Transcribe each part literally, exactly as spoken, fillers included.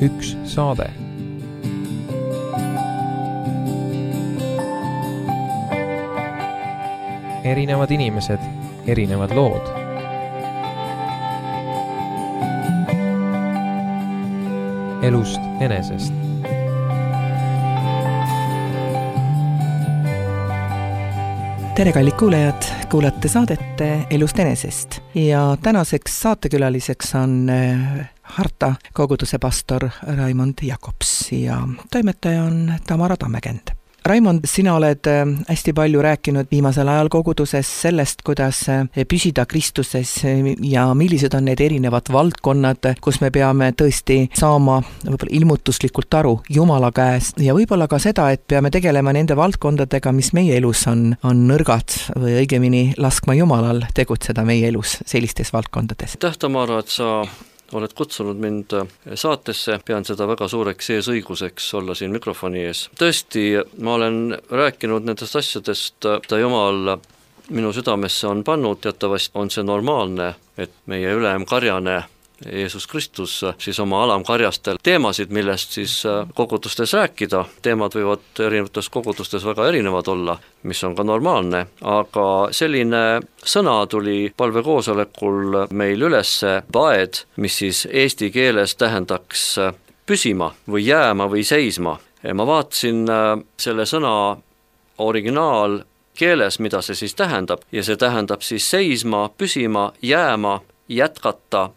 üks saade. Erinevad inimesed, erinevad lood. Elust enesest. Tere kallid kuulajad, kuulate saadet Elust enesest ja tänaseks saatekülaliseks on Harta koguduse pastor Raimond Jakobs ja toimetaja on Tamara Tammekend. Raimond, sina oled hästi palju rääkinud viimasel ajal koguduses sellest, kuidas püsida Kristuses ja millised on need erinevad valdkonnad, kus me peame tõesti saama võib-olla ilmutuslikult aru Jumala käest ja võib-olla ka seda, et peame tegelema nende valdkondadega, mis meie elus on, on nõrgad või õigemini laskma Jumalal tegutseda meie elus sellistes valdkondades. Täh, Tamara, et sa oled kutsunud mind saatesse, pean seda väga suureks eesõiguseks olla siin mikrofoni ees. Tõesti, ma olen rääkinud nendest asjadest, ta Jumal minu südamesse on pannud, teatavasti on see normaalne, et meie ülemkarjane Jeesus Kristus siis oma alamkarjastel teemasid, millest siis kogudustes rääkida. Teemad võivad erinevates kogudustes väga erinevad olla, mis on ka normaalne, aga selline sõna tuli palvekoosolekul meil ülesse, paed, mis siis eesti keeles tähendaks püsima või jääma või seisma. Ma vaatasin selle sõna originaal keeles, mida see siis tähendab, ja see tähendab siis seisma, püsima, jääma, jätkata,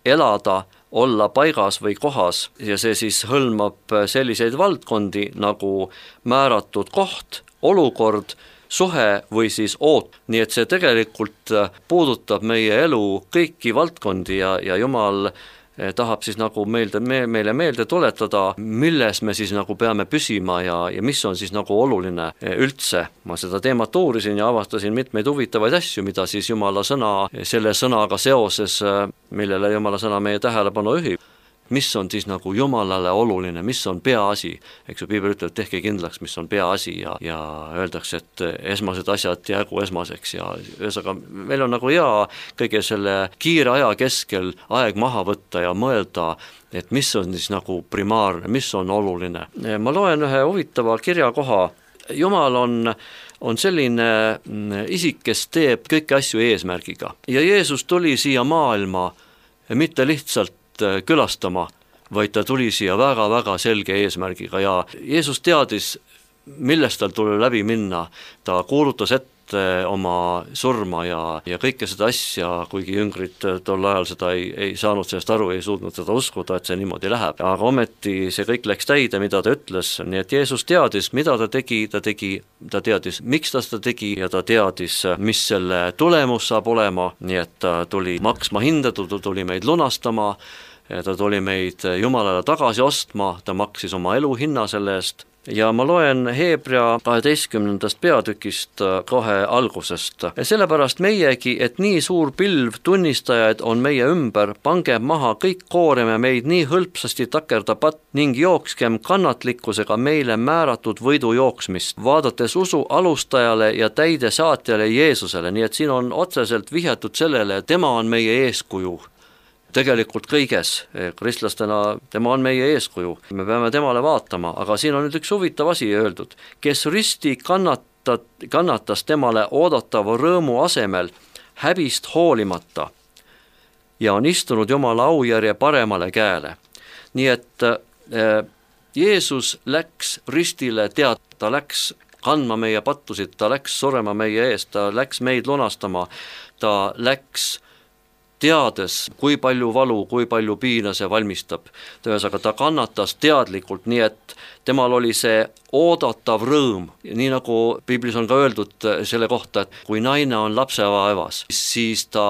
elada, olla paigas või kohas ja see siis hõlmab selliseid valdkondi nagu määratud koht, olukord, suhe või siis oot. Nii et see tegelikult puudutab meie elu kõiki valdkondi ja, ja Jumal tahab siis nagu meelde, me, meile meelde tuletada, milles me siis nagu peame püsima ja, ja mis on siis nagu oluline üldse. Ma seda teemat uurisin ja avastasin mitmeid huvitavaid asju, mida siis Jumala sõna, selle sõnaga seoses, millele Jumala sõna meie tähelepanu ühib. Mis on siis nagu Jumalale oluline, mis on peaasi. Eks ju, Piibel ütleb, tehke kindlaks, mis on peaasi ja, ja öeldakse, et esmased asjad jäägu esmaseks ja ühesõnaga, meil on nagu hea kõige selle kiire aja keskel aeg maha võtta ja mõelda, et mis on siis nagu primaarne, mis on oluline. Ma loen ühe huvitava kirjakoha. Jumal on, on selline isik, kes teeb kõiki asju eesmärgiga ja Jeesus tuli siia maailma mitte lihtsalt külastama, vaid ta tuli siia väga-väga selge eesmärgiga ja Jeesus teadis, millest tal tuli läbi minna. Ta kuulutas ette oma surma ja, ja kõike seda asja, kuigi jüngrid tol ajal seda ei, ei saanud sellest aru, ei suutnud seda uskuda, et see niimoodi läheb. Aga ometi see kõik läks täide, mida ta ütles, nii et Jeesus teadis, mida ta tegi, ta tegi, ta teadis, miks ta seda tegi ja ta teadis, mis selle tulemus saab olema, nii et ta tuli maksma hinda, ta tuli meid lunastama, ta tuli meid Jumalale tagasi ostma, ta maksis oma elu hinna selle eest ja ma loen Heebrea kaheteistkümnendast peatükist kohe algusest. Sellepärast meiegi, et nii suur pilv tunnistajaid on meie ümber, pangem maha kõik kooreme meid nii hõlpsasti takerda patt ning jookskem kannatlikkusega meile määratud võidu jooksmist, vaadates usu alustajale ja täide saatjale Jeesusele, nii et siin on otseselt vihjatud sellele, et tema on meie eeskuju. Tegelikult kõiges, kristlastena tema on meie eeskuju, me peame temale vaatama, aga siin on nüüd üks huvitav asi öeldud, kes risti kannatat, kannatas temale oodatava rõõmu asemel häbist hoolimata ja on istunud Jumala aujärje paremale käele. Nii et äh, Jeesus läks ristile tead, ta läks kandma meie pattusid, ta läks surema meie eest, ta läks meid lunastama, ta läks teades, kui palju valu, kui palju piina see valmistab. Tõesaga, ta kannatas teadlikult, nii et temal oli see oodatav rõõm. Nii nagu Piiblis on ka öeldud selle kohta, et kui naine on lapsevaevas, siis ta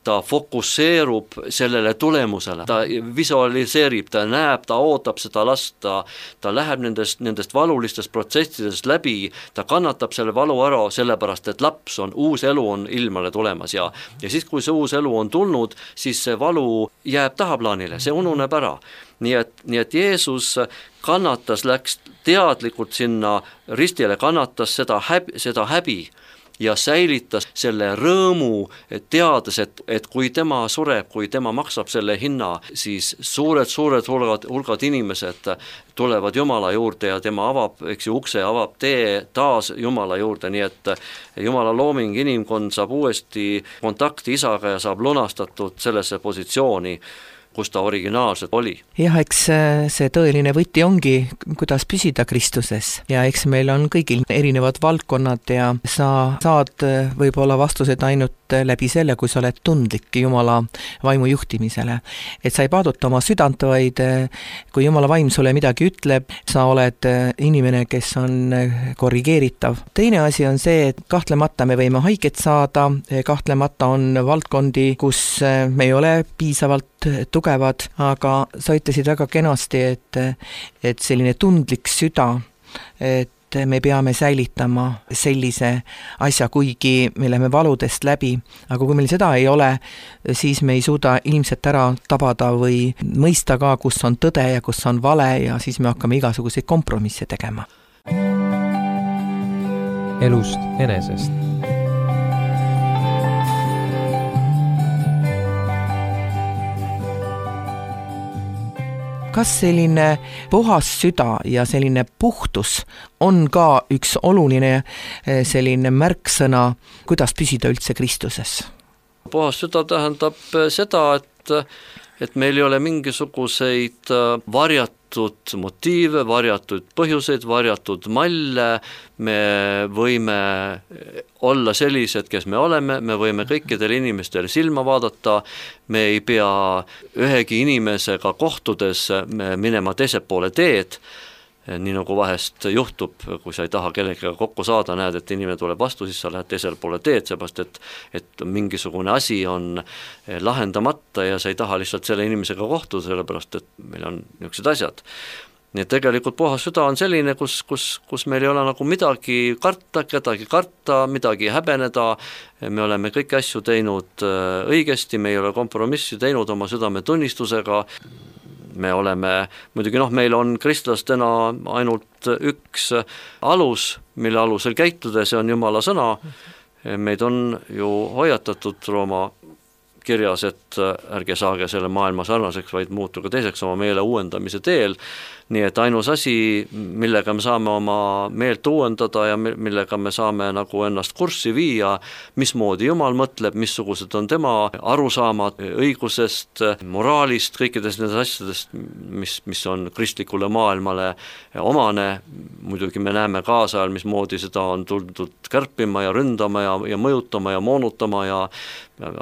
ta fokusseerub sellele tulemusele, ta visualiseerib, ta näeb, ta ootab seda last, ta, ta läheb nendest, nendest valulistest protsessidest läbi, ta kannatab selle valu ära, sellepärast et laps on, uus elu on ilmale tulemas ja, ja siis, kui see uus elu on tulnud, siis see valu jääb tahaplaanile, see ununeb ära. Nii et, nii et Jeesus kannatas, läks teadlikult sinna ristile, kannatas seda häbi, seda häbi ja säilitas selle rõõmu, et teades, et, et kui tema sureb, kui tema maksab selle hinna, siis suured-suured hulgad, hulgad inimesed tulevad Jumala juurde ja tema avab, eks ju, ukse, avab tee taas Jumala juurde, nii et Jumala looming, inimkond saab uuesti kontakti isaga ja saab lunastatud sellesse positsiooni, kus ta originaalselt oli. Jah, eks see tõeline võti ongi, kuidas püsida Kristuses ja eks meil on kõigil erinevad valdkonnad ja sa saad võib-olla vastused ainult läbi selle, kui sa oled tundlik Jumala vaimu juhtimisele. Et sa ei paaduta oma südant, vaid kui Jumala vaim sulle midagi ütleb, sa oled inimene, kes on korrigeeritav. Teine asi on see, et kahtlemata me võime haiget saada, kahtlemata on valdkondi, kus me ei ole piisavalt tugevad, aga sa ütlesid väga kenasti, et, et selline tundlik süda, et me peame säilitama sellise asja, kuigi me läheme valudest läbi, aga kui meil seda ei ole, siis me ei suuda ilmselt ära tabada või mõista ka, kus on tõde ja kus on vale ja siis me hakkame igasuguseid kompromisse tegema. Elust enesest. Kas selline puhas süda ja selline puhtus on ka üks oluline selline märksõna, kuidas püsida üldse Kristuses? Puhas süda tähendab seda, et, et meil ei ole mingisuguseid varjatud motiive, varjatud põhjuseid, varjatud malle, me võime olla sellised, kes me oleme, me võime kõikidele inimestele silma vaadata, me ei pea ühegi inimesega kohtudes minema teise poole teed, nii nagu vahest juhtub, kui sa ei taha kellegagi kokku saada, näed, et inimene tuleb vastu, siis sa lähed teisele poole teed, seepärast, et, et mingisugune asi on lahendamata ja sa ei taha lihtsalt selle inimesega kohtuda, sellepärast, et meil on niisugused asjad. Nii et tegelikult puhas süda on selline, kus, kus, kus meil ei ole nagu midagi karta, kedagi karta, midagi häbeneda, me oleme kõiki asju teinud õigesti, me ei ole kompromissi teinud oma südametunnistusega, me oleme, muidugi noh, meil on kristlastena ainult üks alus, mille alusel käituda, see on Jumala sõna, meid on ju hoiatatud Rooma kirjas, et ärge saage selle maailma sarnaseks, vaid muutuge teiseks oma meele uuendamise teel, nii et ainus asi, millega me saame oma meelt uuendada ja millega me saame nagu ennast kurssi viia, mismoodi Jumal mõtleb, missugused on tema arusaamad õigusest, moraalist, kõikidest nendest asjadest, mis, mis on kristlikule maailmale omane, muidugi me näeme kaasajal, mismoodi seda on tuldud kärpima ja ründama ja, ja mõjutama ja moonutama ja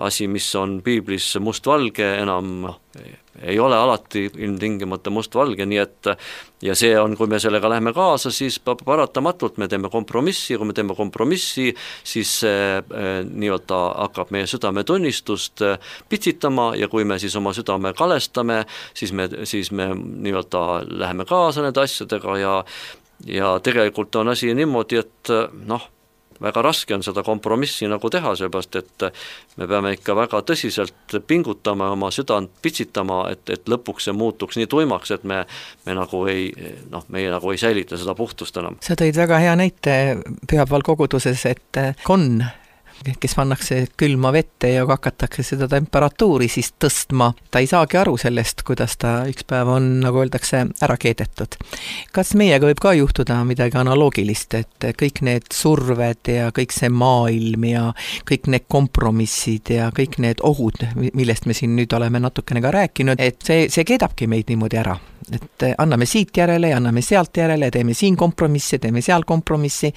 asi, mis on piiblis mustvalge, enam ei ole alati ilmtingimata mustvalge, nii et ja see on, kui me sellega läheme kaasa, siis paratamatult me teeme kompromissi, kui me teeme kompromissi, siis eh, nii-öelda hakkab meie südametunnistust pitsitama ja kui me siis oma südame kalestame, siis me, siis me nii-öelda läheme kaasa nende asjadega ja, ja tegelikult on asi niimoodi, et noh, väga raske on seda kompromissi nagu teha, seepärast, et me peame ikka väga tõsiselt pingutama, oma südant pitsitama, et, et lõpuks see muutuks nii tuimaks, et me, me nagu ei, noh, meie nagu ei säilita seda puhtust enam. Sa tõid väga hea näite pühapäeval koguduses, et konn, kes pannakse külma vette ja hakatakse seda temperatuuri siis tõstma. Ta ei saagi aru sellest, kuidas ta üks päev on, nagu öeldakse, ära keedetud. Kas meiega võib ka juhtuda midagi analoogilist, et kõik need surved ja kõik see maailm ja kõik need kompromissid ja kõik need ohud, millest me siin nüüd oleme natukene ka rääkinud, et see, see keedabki meid niimoodi ära. Et anname siit järele ja anname sealt järele, teeme siin kompromissi, teeme seal kompromissi.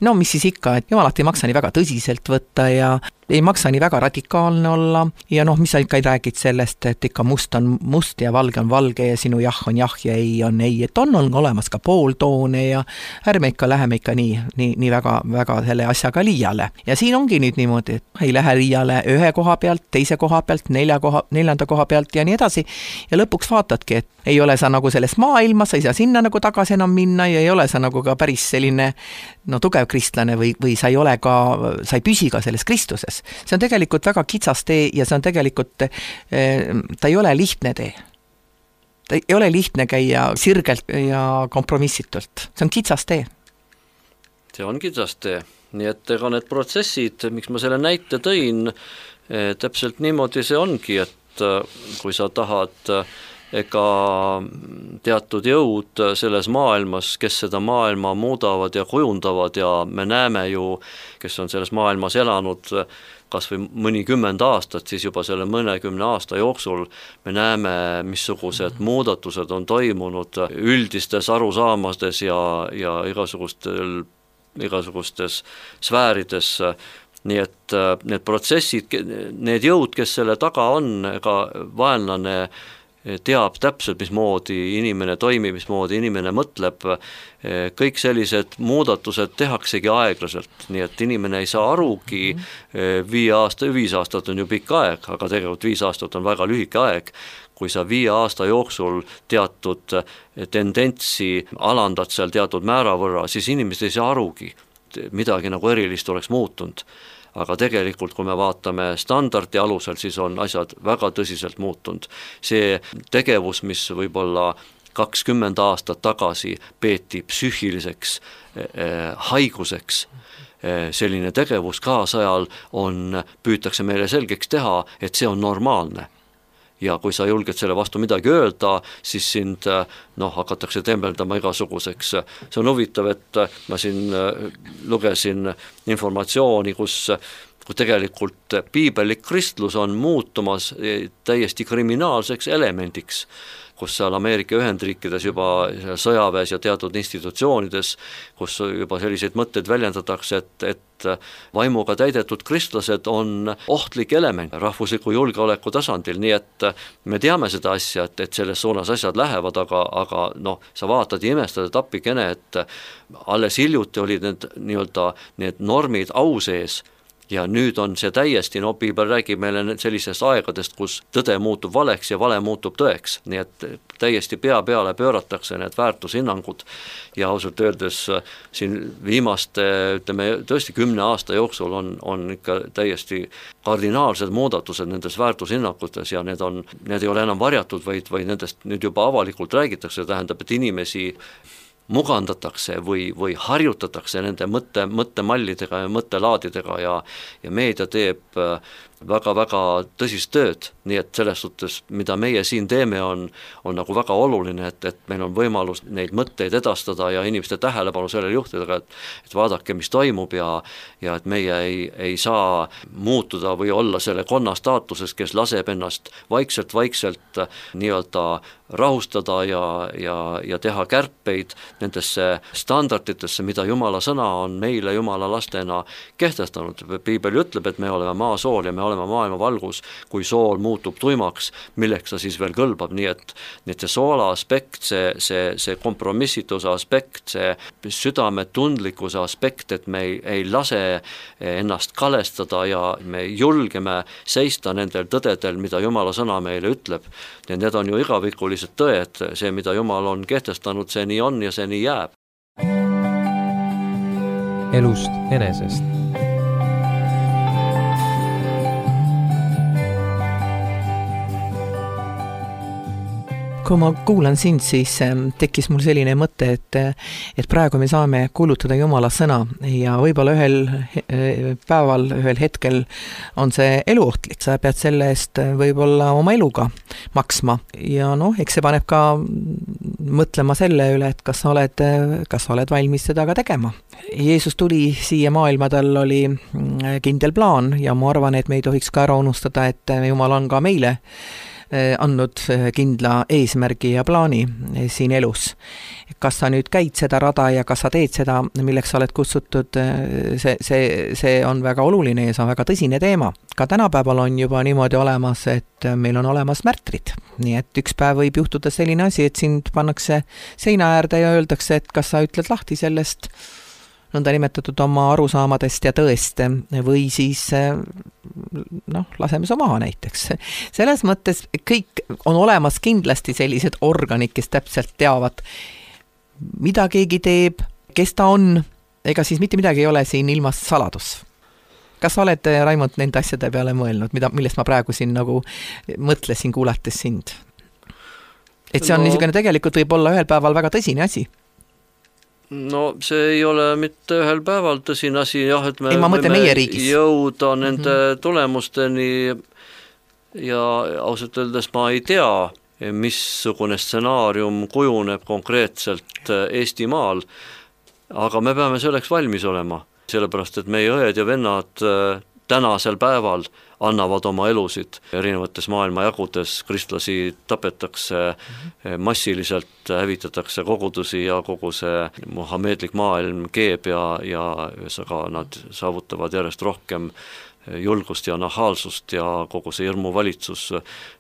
No mis siis ikka, et jumalat ei maksa nii väga tõsiselt võtta ja ei maksa nii väga radikaalne olla ja noh, mis sa ikka ei räägid sellest, et ikka must on must ja valge on valge ja sinu jah on jah ja ei on ei, et on, on olemas ka pooltoone ja ärme ikka läheme ikka nii, nii, nii väga, väga selle asjaga liiale. Ja siin ongi nüüd niimoodi, et ei lähe liiale ühe koha pealt, teise koha pealt, nelja koha, neljanda koha pealt ja nii edasi ja lõpuks vaatadki, et ei ole sa nagu selles maailmas, sa ei saa sinna nagu tagasi enam minna ja ei ole sa nagu ka päris selline no tugev kristlane või, või sa ei ole ka, sa ei püsi ka selles Kristuses. See on tegelikult väga kitsas tee ja see on tegelikult, ta ei ole lihtne tee. Ta ei ole lihtne käia sirgelt ja kompromissitult. See on kitsas tee. See on kitsas tee. nii et ega need protsessid, miks ma selle näite tõin, täpselt niimoodi see ongi, et kui sa tahad ega teatud jõud selles maailmas, kes seda maailma muudavad ja kujundavad ja me näeme ju, kes on selles maailmas elanud kas või mõnikümmend aastat, siis juba selle mõnekümne aasta jooksul me näeme, missugused muudatused on toimunud üldistes arusaamades ja, ja igasugustel, igasugustes sfäärides. Nii et need protsessid, need jõud, kes selle taga on, ega vaenlane teab täpselt, mismoodi inimene toimib, mismoodi inimene mõtleb, kõik sellised muudatused tehaksegi aeglaselt, nii et inimene ei saa arugi, viie aasta, viis aastat on ju pikk aeg, aga tegelikult viis aastat on väga lühike aeg, kui sa viie aasta jooksul teatud tendentsi alandad seal teatud määra võrra, siis inimesed ei saa arugi, midagi nagu erilist oleks muutunud. Aga tegelikult, kui me vaatame standardi alusel, siis on asjad väga tõsiselt muutunud. See tegevus, mis võib-olla kakskümmend aastat tagasi peeti psüühiliseks eh, haiguseks, eh, selline tegevus kaasajal on, püütakse meile selgeks teha, et see on normaalne. Ja kui sa julged selle vastu midagi öelda, siis sind noh, hakatakse tembeldama igasuguseks. See on huvitav, et ma siin lugesin informatsiooni, kus, kus tegelikult piibellik kristlus on muutumas täiesti kriminaalseks elemendiks, kus seal Ameerika Ühendriikides juba sõjaväes ja teatud institutsioonides, kus juba selliseid mõtteid väljendatakse, et, et vaimuga täidetud kristlased on ohtlik element rahvusliku julgeoleku tasandil, nii et me teame seda asja, et, et selles suunas asjad lähevad, aga, aga noh, sa vaatad ja imestad, et appikene, et alles hiljuti olid need, nii-öelda, need normid au sees, ja nüüd on see täiesti, no piibel räägib meile sellisest aegadest, kus tõde muutub valeks ja vale muutub tõeks, nii et täiesti pea peale pööratakse need väärtushinnangud ja ausalt öeldes siin viimaste, ütleme tõesti kümne aasta jooksul on, on ikka täiesti kardinaalsed muudatused nendes väärtushinnangutes ja need on, need ei ole enam varjatud, vaid, vaid nendest nüüd juba avalikult räägitakse, tähendab, et inimesi mugandatakse või, või harjutatakse nende mõtte, mõttemallidega ja mõttelaadidega ja, ja meedia teeb väga-väga tõsist tööd, nii et selles suhtes, mida meie siin teeme, on, on nagu väga oluline, et, et meil on võimalus neid mõtteid edastada ja inimeste tähelepanu sellele juhtida, et, et vaadake, mis toimub ja, ja et meie ei, ei saa muutuda või olla selle konna staatuses, kes laseb ennast vaikselt-vaikselt nii-öelda rahustada ja, ja, ja teha kärpeid nendesse standarditesse, mida Jumala sõna on meile Jumala lastena kehtestanud. Piibel ütleb, et me oleme maasool ja me olema maailma valgus, kui sool muutub tuimaks, milleks ta siis veel kõlbab, nii et, nii et see soola aspekt, see, see, see kompromissituse aspekt, see südametundlikkuse aspekt, et me ei, ei lase ennast kalestada ja me julgeme seista nendel tõdedel, mida Jumala sõna meile ütleb. Ja need on ju igavikulised tõed, see, mida Jumal on kehtestanud, see nii on ja see nii jääb. Elust enesest. Kui ma kuulan sind, siis tekkis mul selline mõte, et, et praegu me saame kuulutada Jumala sõna ja võib-olla ühel päeval, ühel hetkel on see eluohtlik, sa pead selle eest võib-olla oma eluga maksma ja noh, eks see paneb ka mõtlema selle üle, et kas sa oled, kas sa oled valmis seda ka tegema. Jeesus tuli siia maailma, tal oli kindel plaan ja ma arvan, et me ei tohiks ka ära unustada, et Jumal on ka meile andnud kindla eesmärgi ja plaani siin elus. Kas sa nüüd käid seda rada ja kas sa teed seda, milleks sa oled kutsutud, see, see, see on väga oluline ja see on väga tõsine teema. Ka tänapäeval on juba niimoodi olemas, et meil on olemas märtrid. Nii et üks päev võib juhtuda selline asi, et sind pannakse seina äärde ja öeldakse, et kas sa ütled lahti sellest nõnda nimetatud oma arusaamadest ja tõest või siis noh, laseme su maha näiteks. Selles mõttes kõik on olemas kindlasti sellised organid, kes täpselt teavad, mida keegi teeb, kes ta on, ega siis mitte midagi ei ole siin ilmas saladus. Kas sa oled, Raimond, nende asjade peale mõelnud, mida, millest ma praegu siin nagu mõtlesin kuulates sind? Et see on no, niisugune tegelikult võib olla ühel päeval väga tõsine asi. no see ei ole mitte ühel päeval tõsine asi, jah, et me ei, ma mõtlen meie riigis. Jõuda nende mm-hmm. tulemusteni ja ausalt öeldes ma ei tea, missugune stsenaarium kujuneb konkreetselt Eestimaal, aga me peame selleks valmis olema, sellepärast et meie õed ja vennad tänasel päeval annavad oma elusid erinevates maailmajagudes, kristlasi tapetakse massiliselt, hävitatakse kogudusi ja kogu see muhameedlik maailm keeb ja, ja ühesõnaga nad saavutavad järjest rohkem julgust ja nahaalsust ja kogu see hirmuvalitsus,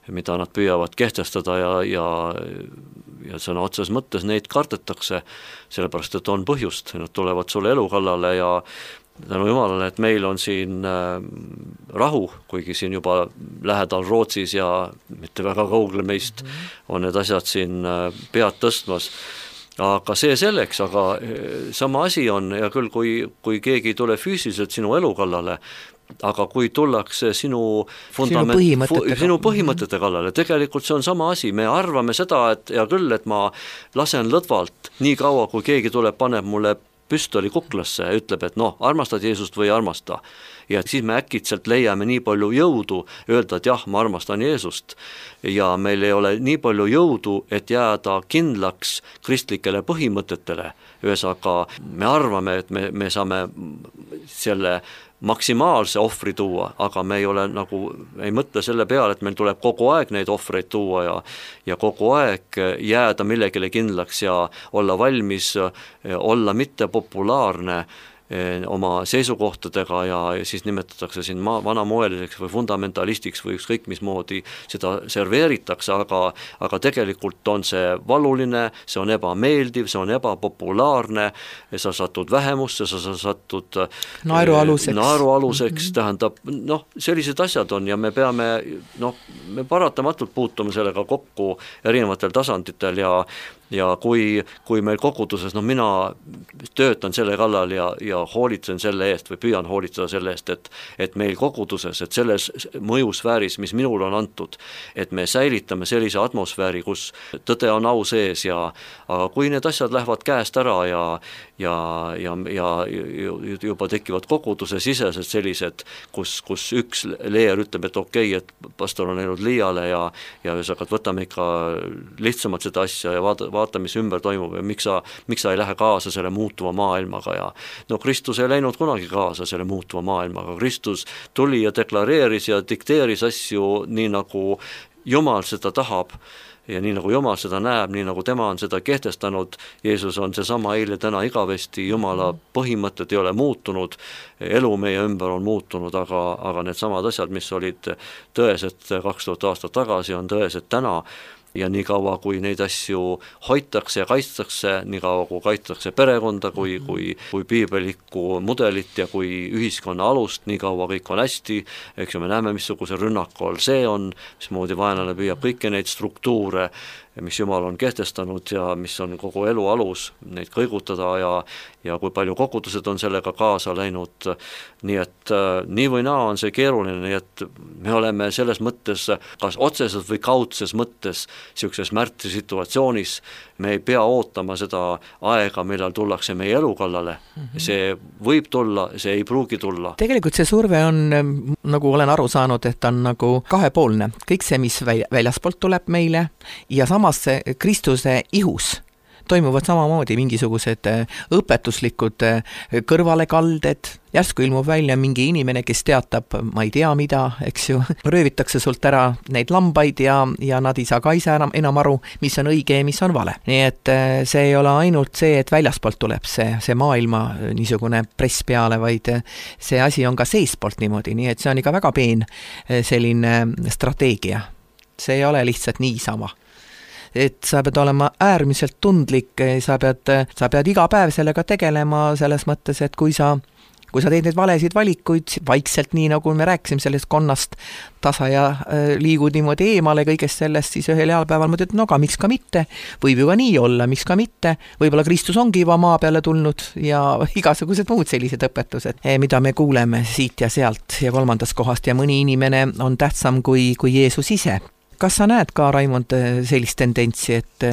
mida nad püüavad kehtestada ja, ja, ja sõna otses mõttes neid kardetakse, sellepärast et on põhjust, nad tulevad sulle elu kallale ja tänu Jumalale, et meil on siin äh, rahu, kuigi siin juba lähedal Rootsis ja mitte väga kaugel meist on need asjad siin äh, pead tõstmas. Aga see selleks, aga sama asi on ja küll, kui, kui keegi ei tule füüsiliselt sinu elu kallale, aga kui tullakse sinu fundament, sinu põhimõtete, sinu põhimõtete kallale, tegelikult see on sama asi, me arvame seda, et ja küll, et ma lasen lõdvalt nii kaua, kui keegi tuleb, paneb mulle püstoli kuklasse ja ütleb, et noh, armastad Jeesust või armasta. Ja siis me äkitselt leiame nii palju jõudu öelda, et jah, ma armastan Jeesust. Ja meil ei ole nii palju jõudu, et jääda kindlaks kristlikele põhimõtetele. Ühesõnaga, me arvame, et me, me saame selle maksimaalse ohvri tuua, aga me ei ole nagu, ei mõtle selle peale, et meil tuleb kogu aeg neid ohvreid tuua ja, ja kogu aeg jääda millegile kindlaks ja olla valmis, olla mitte populaarne oma seisukohtadega ja siis nimetatakse siin ma, vanamoeliseks või fundamentalistiks või ükskõik mismoodi seda serveeritakse, aga, aga tegelikult on see valuline, see on ebameeldiv, see on ebapopulaarne, sa satud vähemusse, sa satud naerualuseks, naerualuseks mm-hmm. tähendab, noh, sellised asjad on ja me peame, noh, me paratamatult puutume sellega kokku erinevatel tasanditel ja ja kui, kui meil koguduses, no mina töötan selle kallal ja, ja hoolitsen selle eest või püüan hoolitseda selle eest, et, et meil koguduses, et selles mõjusfääris, mis minul on antud, et me säilitame sellise atmosfääri, kus tõde on au sees ja aga kui need asjad lähevad käest ära ja, ja, ja, ja juba tekivad koguduse sisesed sellised, kus, kus üks leer ütleb, et okei, okay, et pastor on läinud liiale ja, ja ühesõnaga, võtame ikka lihtsamalt seda asja ja vaata, vaata, mis ümber toimub ja miks sa, miks sa ei lähe kaasa selle muutuva maailmaga ja no Kristus ei läinud kunagi kaasa selle muutuva maailmaga, Kristus tuli ja deklareeris ja dikteeris asju nii nagu Jumal seda tahab ja nii nagu Jumal seda näeb, nii nagu tema on seda kehtestanud, Jeesus on seesama eile täna igavesti, Jumala põhimõtted ei ole muutunud, elu meie ümber on muutunud, aga, aga need samad asjad, mis olid tõesed kaks tuhat aastat tagasi, on tõesed täna ja nii kaua, kui neid asju hoitakse ja kaitstakse, nii kaua, kui kaitstakse perekonda, kui, kui, kui piibelikku mudelit ja kui ühiskonna alust, nii kaua kõik on hästi, eks ju me näeme, missuguse rünnaku all see on, mismoodi vaenlane püüab kõiki neid struktuure, mis Jumal on kehtestanud ja mis on kogu elu alus, neid kõigutada ja, ja kui palju kogudused on sellega kaasa läinud, nii et nii või naa on see keeruline, nii et me oleme selles mõttes, kas otseses või kaudses mõttes niisuguses märtri situatsioonis, me ei pea ootama seda aega, millal tullakse meie elu kallale, mm-hmm. see võib tulla, see ei pruugi tulla. Tegelikult see surve on, nagu olen aru saanud, et on nagu kahepoolne, kõik see, mis väljaspoolt tuleb meile ja samas see Kristuse ihus toimuvad samamoodi mingisugused õpetuslikud kõrvalekalded, järsku ilmub välja mingi inimene, kes teatab, ma ei tea mida, eks ju, röövitakse sult ära neid lambaid ja, ja nad ei saa ka ise enam, enam aru, mis on õige ja mis on vale. Nii et see ei ole ainult see, et väljaspoolt tuleb see, see maailma niisugune press peale, vaid see asi on ka seespoolt niimoodi, nii et see on ikka väga peen selline strateegia. See ei ole lihtsalt niisama. Et sa pead olema äärmiselt tundlik, sa pead, sa pead iga päev sellega tegelema selles mõttes, et kui sa, kui sa teed neid valesid valikuid vaikselt, nii nagu me rääkisime sellest konnast tasa ja liigud niimoodi eemale kõigest sellest, siis ühel heal päeval mõtled, no aga miks ka mitte, võib ju ka nii olla, miks ka mitte, võib-olla Kristus ongi juba maa peale tulnud ja igasugused muud sellised õpetused, mida me kuuleme siit ja sealt ja kolmandast kohast ja mõni inimene on tähtsam kui, kui Jeesus ise. Kas sa näed ka, Raimond, sellist tendentsi, et,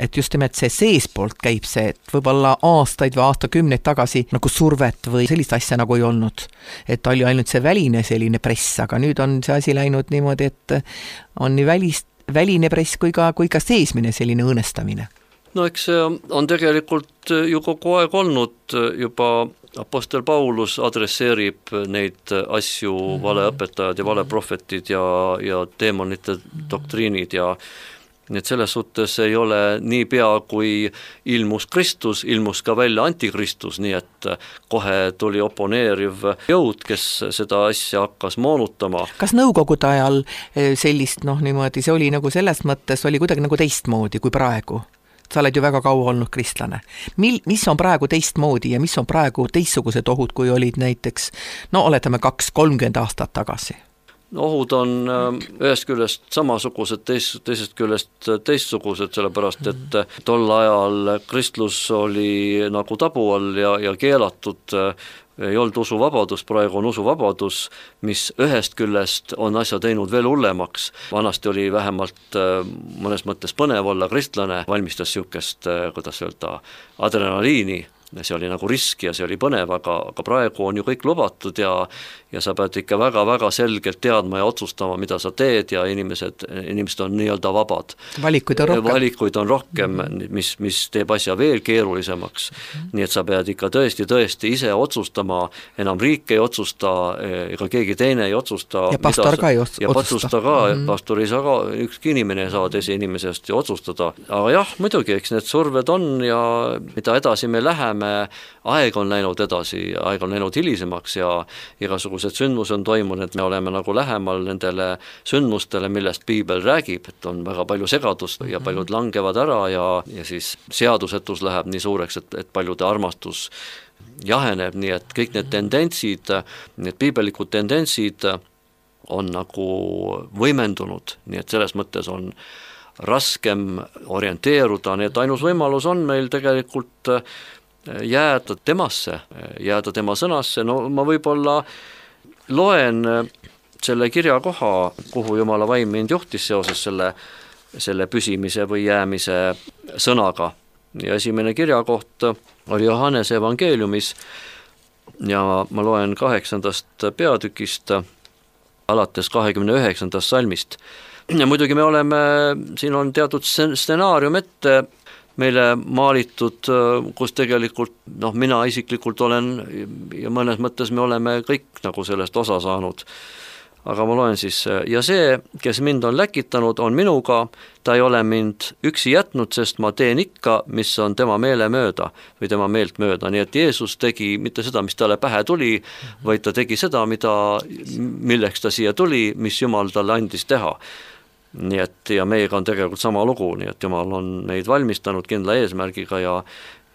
et just nimelt see seespoolt käib see, et võib-olla aastaid või aastakümneid tagasi nagu survet või sellist asja nagu ei olnud, et oli ainult see väline selline press, aga nüüd on see asi läinud niimoodi, et on nii välist, väline press kui ka, kui ka seesmine selline õõnestamine? No eks see on tegelikult ju kogu aeg olnud, juba Apostel Paulus adresseerib neid asju, valeõpetajad ja valeprofetid ja, ja teemonite doktriinid ja nii et selles suhtes ei ole nii pea, kui ilmus Kristus, ilmus ka välja antikristus, nii et kohe tuli oponeeriv jõud, kes seda asja hakkas moonutama. Kas nõukogude ajal sellist, noh niimoodi, see oli nagu selles mõttes, oli kuidagi nagu teistmoodi kui praegu? Sa oled ju väga kaua olnud kristlane. Mil, mis on praegu teistmoodi ja mis on praegu teistsugused ohud, kui olid näiteks, no oletame kaks kolmkümmend aastat tagasi? Ohud on ühest küljest samasugused, teist, teisest küljest teistsugused, sellepärast et tol ajal kristlus oli nagu tabu all ja, ja keelatud, ei olnud usuvabadus, praegu on usuvabadus, mis ühest küljest on asja teinud veel hullemaks. Vanasti oli vähemalt mõnes mõttes põnev olla kristlane, valmistas siukest, kuidas öelda, adrenaliini, see oli nagu risk ja see oli põnev, aga, aga praegu on ju kõik lubatud ja, ja sa pead ikka väga-väga selgelt teadma ja otsustama, mida sa teed ja inimesed, inimesed on nii-öelda vabad. Valikuid on rohkem. Valikuid on rohkem, mis, mis teeb asja veel keerulisemaks. Nii et sa pead ikka tõesti, tõesti ise otsustama, enam riik ei otsusta, ega keegi teine ei otsusta. Ja pastor ka ei otsusta. Ja patsusta ka, mm-hmm. pastor ei saa ka, ükski inimene ei saa teise inimesest ju otsustada. Aga jah, muidugi, eks need surved on ja mida edasi me läheme, aeg on läinud edasi, aeg on läinud hilisemaks ja igasugused sündmus on toimunud, et me oleme nagu lähemal nendele sündmustele, millest piibel räägib, et on väga palju segadust ja paljud langevad ära ja, ja siis seadusetus läheb nii suureks, et, et paljude armastus jaheneb, nii et kõik need tendentsid, need piibelikud tendentsid on nagu võimendunud, nii et selles mõttes on raskem orienteeruda, nii et ainus võimalus on meil tegelikult jääda temasse, jääda tema sõnasse, no ma võib-olla loen selle kirja koha, kuhu Jumala vaim mind juhtis seoses selle, selle püsimise või jäämise sõnaga. Ja esimene kirjakoht oli Johannese evangeeliumis ja ma loen kaheksandast peatükist alates kahekümne üheksandast salmist. Ja muidugi me oleme, siin on teatud stsenaarium ette meile maalitud, kus tegelikult, noh, mina isiklikult olen ja mõnes mõttes me oleme kõik nagu sellest osa saanud. Aga ma loen siis, ja see, kes mind on läkitanud, on minuga, ta ei ole mind üksi jätnud, sest ma teen ikka, mis on tema meele mööda või tema meelt mööda. Nii et Jeesus tegi mitte seda, mis talle pähe tuli, vaid ta tegi seda, mida, milleks ta siia tuli, mis Jumal talle andis teha. Nii et ja meiega on tegelikult sama lugu, nii et Jumal on meid valmistanud kindla eesmärgiga ja,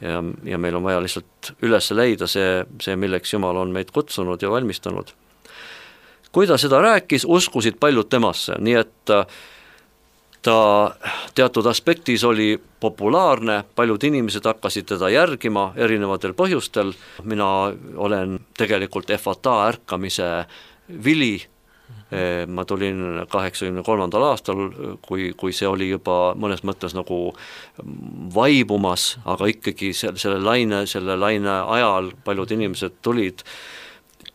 ja, ja meil on vaja lihtsalt üles leida see, see, milleks Jumal on meid kutsunud ja valmistanud. Kui ta seda rääkis, uskusid paljud temasse, nii et ta teatud aspektis oli populaarne, paljud inimesed hakkasid teda järgima erinevatel põhjustel. Mina olen tegelikult efata ärkamise vili. Ma tulin kaheksakümne kolmandal aastal, kui, kui see oli juba mõnes mõttes nagu vaibumas, aga ikkagi selle, selle, laine, selle laine ajal paljud inimesed tulid.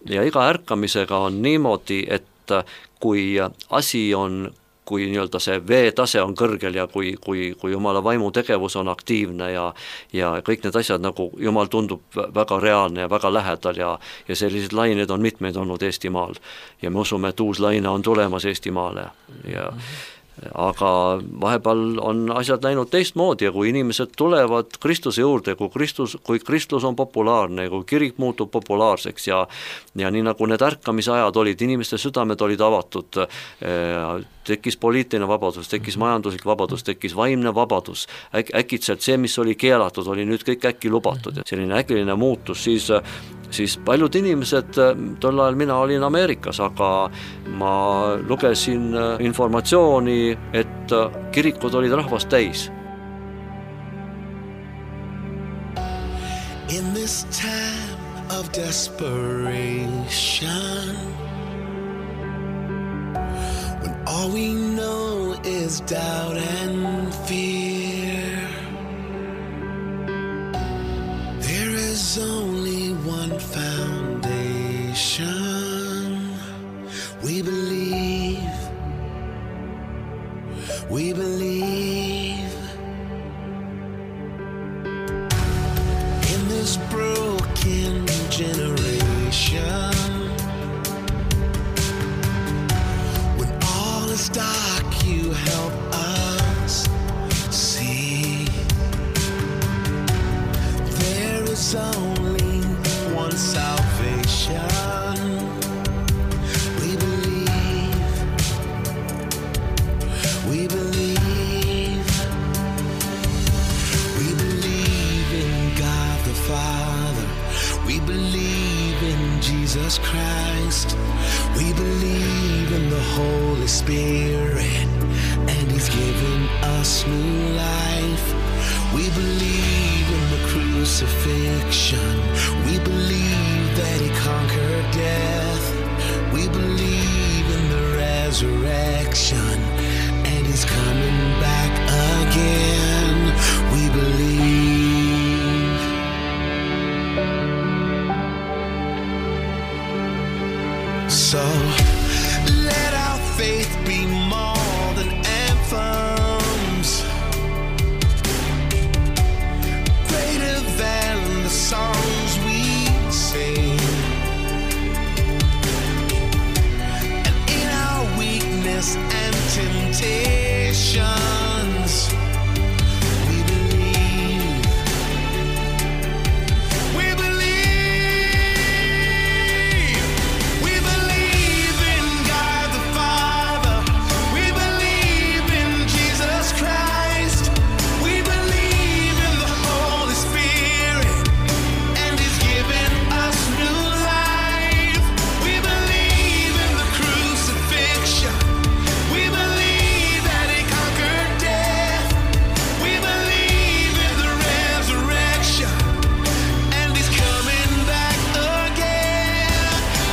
Ja iga ärkamisega on niimoodi, et kui asi on, kui nii-öelda see veetase on kõrgel ja kui, kui, kui Jumala vaimu tegevus on aktiivne ja, ja kõik need asjad nagu Jumal tundub väga reaalne ja väga lähedal ja, ja sellised lained on mitmeid olnud Eestimaal ja me usume, et uus laine on tulemas Eestimaale ja aga vahepeal on asjad läinud teistmoodi ja kui inimesed tulevad Kristuse juurde, kui Kristus, kui Kristus on populaarne, kui kirik muutub populaarseks ja, ja nii nagu need ärkamise ajad olid, inimeste südamed olid avatud, tekkis poliitiline vabadus, tekkis majanduslik vabadus, tekkis vaimne vabadus, Äk, äkitselt see, mis oli keelatud, oli nüüd kõik äkki lubatud ja selline äkiline muutus, siis siis paljud inimesed, tol ajal mina olin Ameerikas, aga ma lugesin informatsiooni, et kirikud olid rahvast täis. In this time of desperation, when all we know is doubt and fear, there is only one foundation. We believe, we believe in this broken generation. When all is dark, you help us see there is only one salvation. We believe, we believe, we believe in God the Father. We believe in Jesus Christ. We believe in the Holy Spirit, and He's given us new life. We believe in the crucifixion. We believe that He conquered death. We believe in the resurrection, and He's coming back again. We believe. So let our faith be more than anthems, greater than the songs we sing. And in our weakness and temptations, we believe, we believe, we believe in God the Father. We believe in Jesus Christ. We believe in the Holy Spirit, and He's given us new life. We believe in the crucifixion. We believe that He conquered death. We believe in the resurrection, and He's coming back again.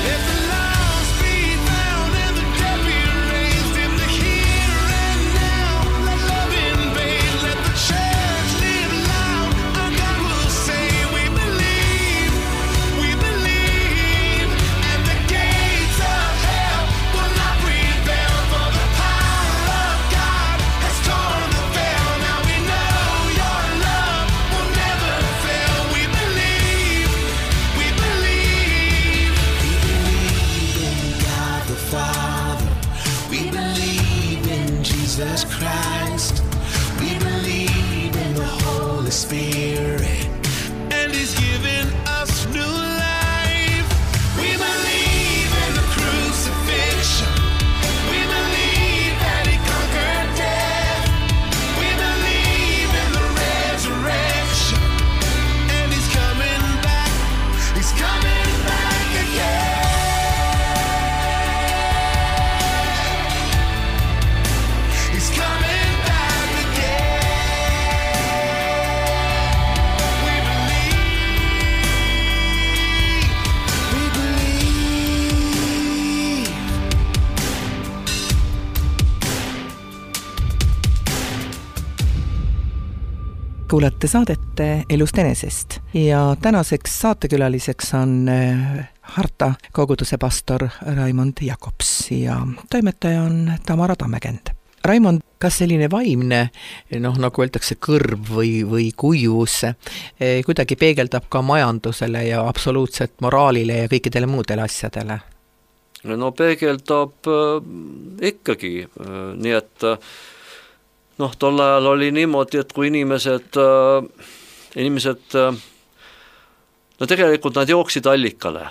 Let the lost be found and the dead be raised in the here and now. Let love invade, let the church live loud. Our God will say, we believe, we believe, and the gates of hell will not prevail, for the power of God has torn the veil. Now we know your love will never fail. We believe, we believe, we believe in God the Father. We believe in Jesus Christ. We believe in the Holy Spirit, and He's given us new life. We believe in the crucifixion. We believe that He conquered death. We believe in the resurrection, and He's coming back. He's coming back again. He's coming back again. We believe, we believe. kuulate saadet Elust enesest ja tänaseks saatekülaliseks on äh, Harta koguduse pastor Raimond Jakobs ja toimetaja on Tamara Tammekend. Raimond, kas selline vaimne, noh, nagu öeldakse, kõrv või, või kuivus eh, kuidagi peegeldab ka majandusele ja absoluutselt moraalile ja kõikidele muudele asjadele? No peegeldab äh, ikkagi, äh, nii et äh, noh, tol ajal oli niimoodi, et kui inimesed, inimesed, no tegelikult nad jooksid allikale,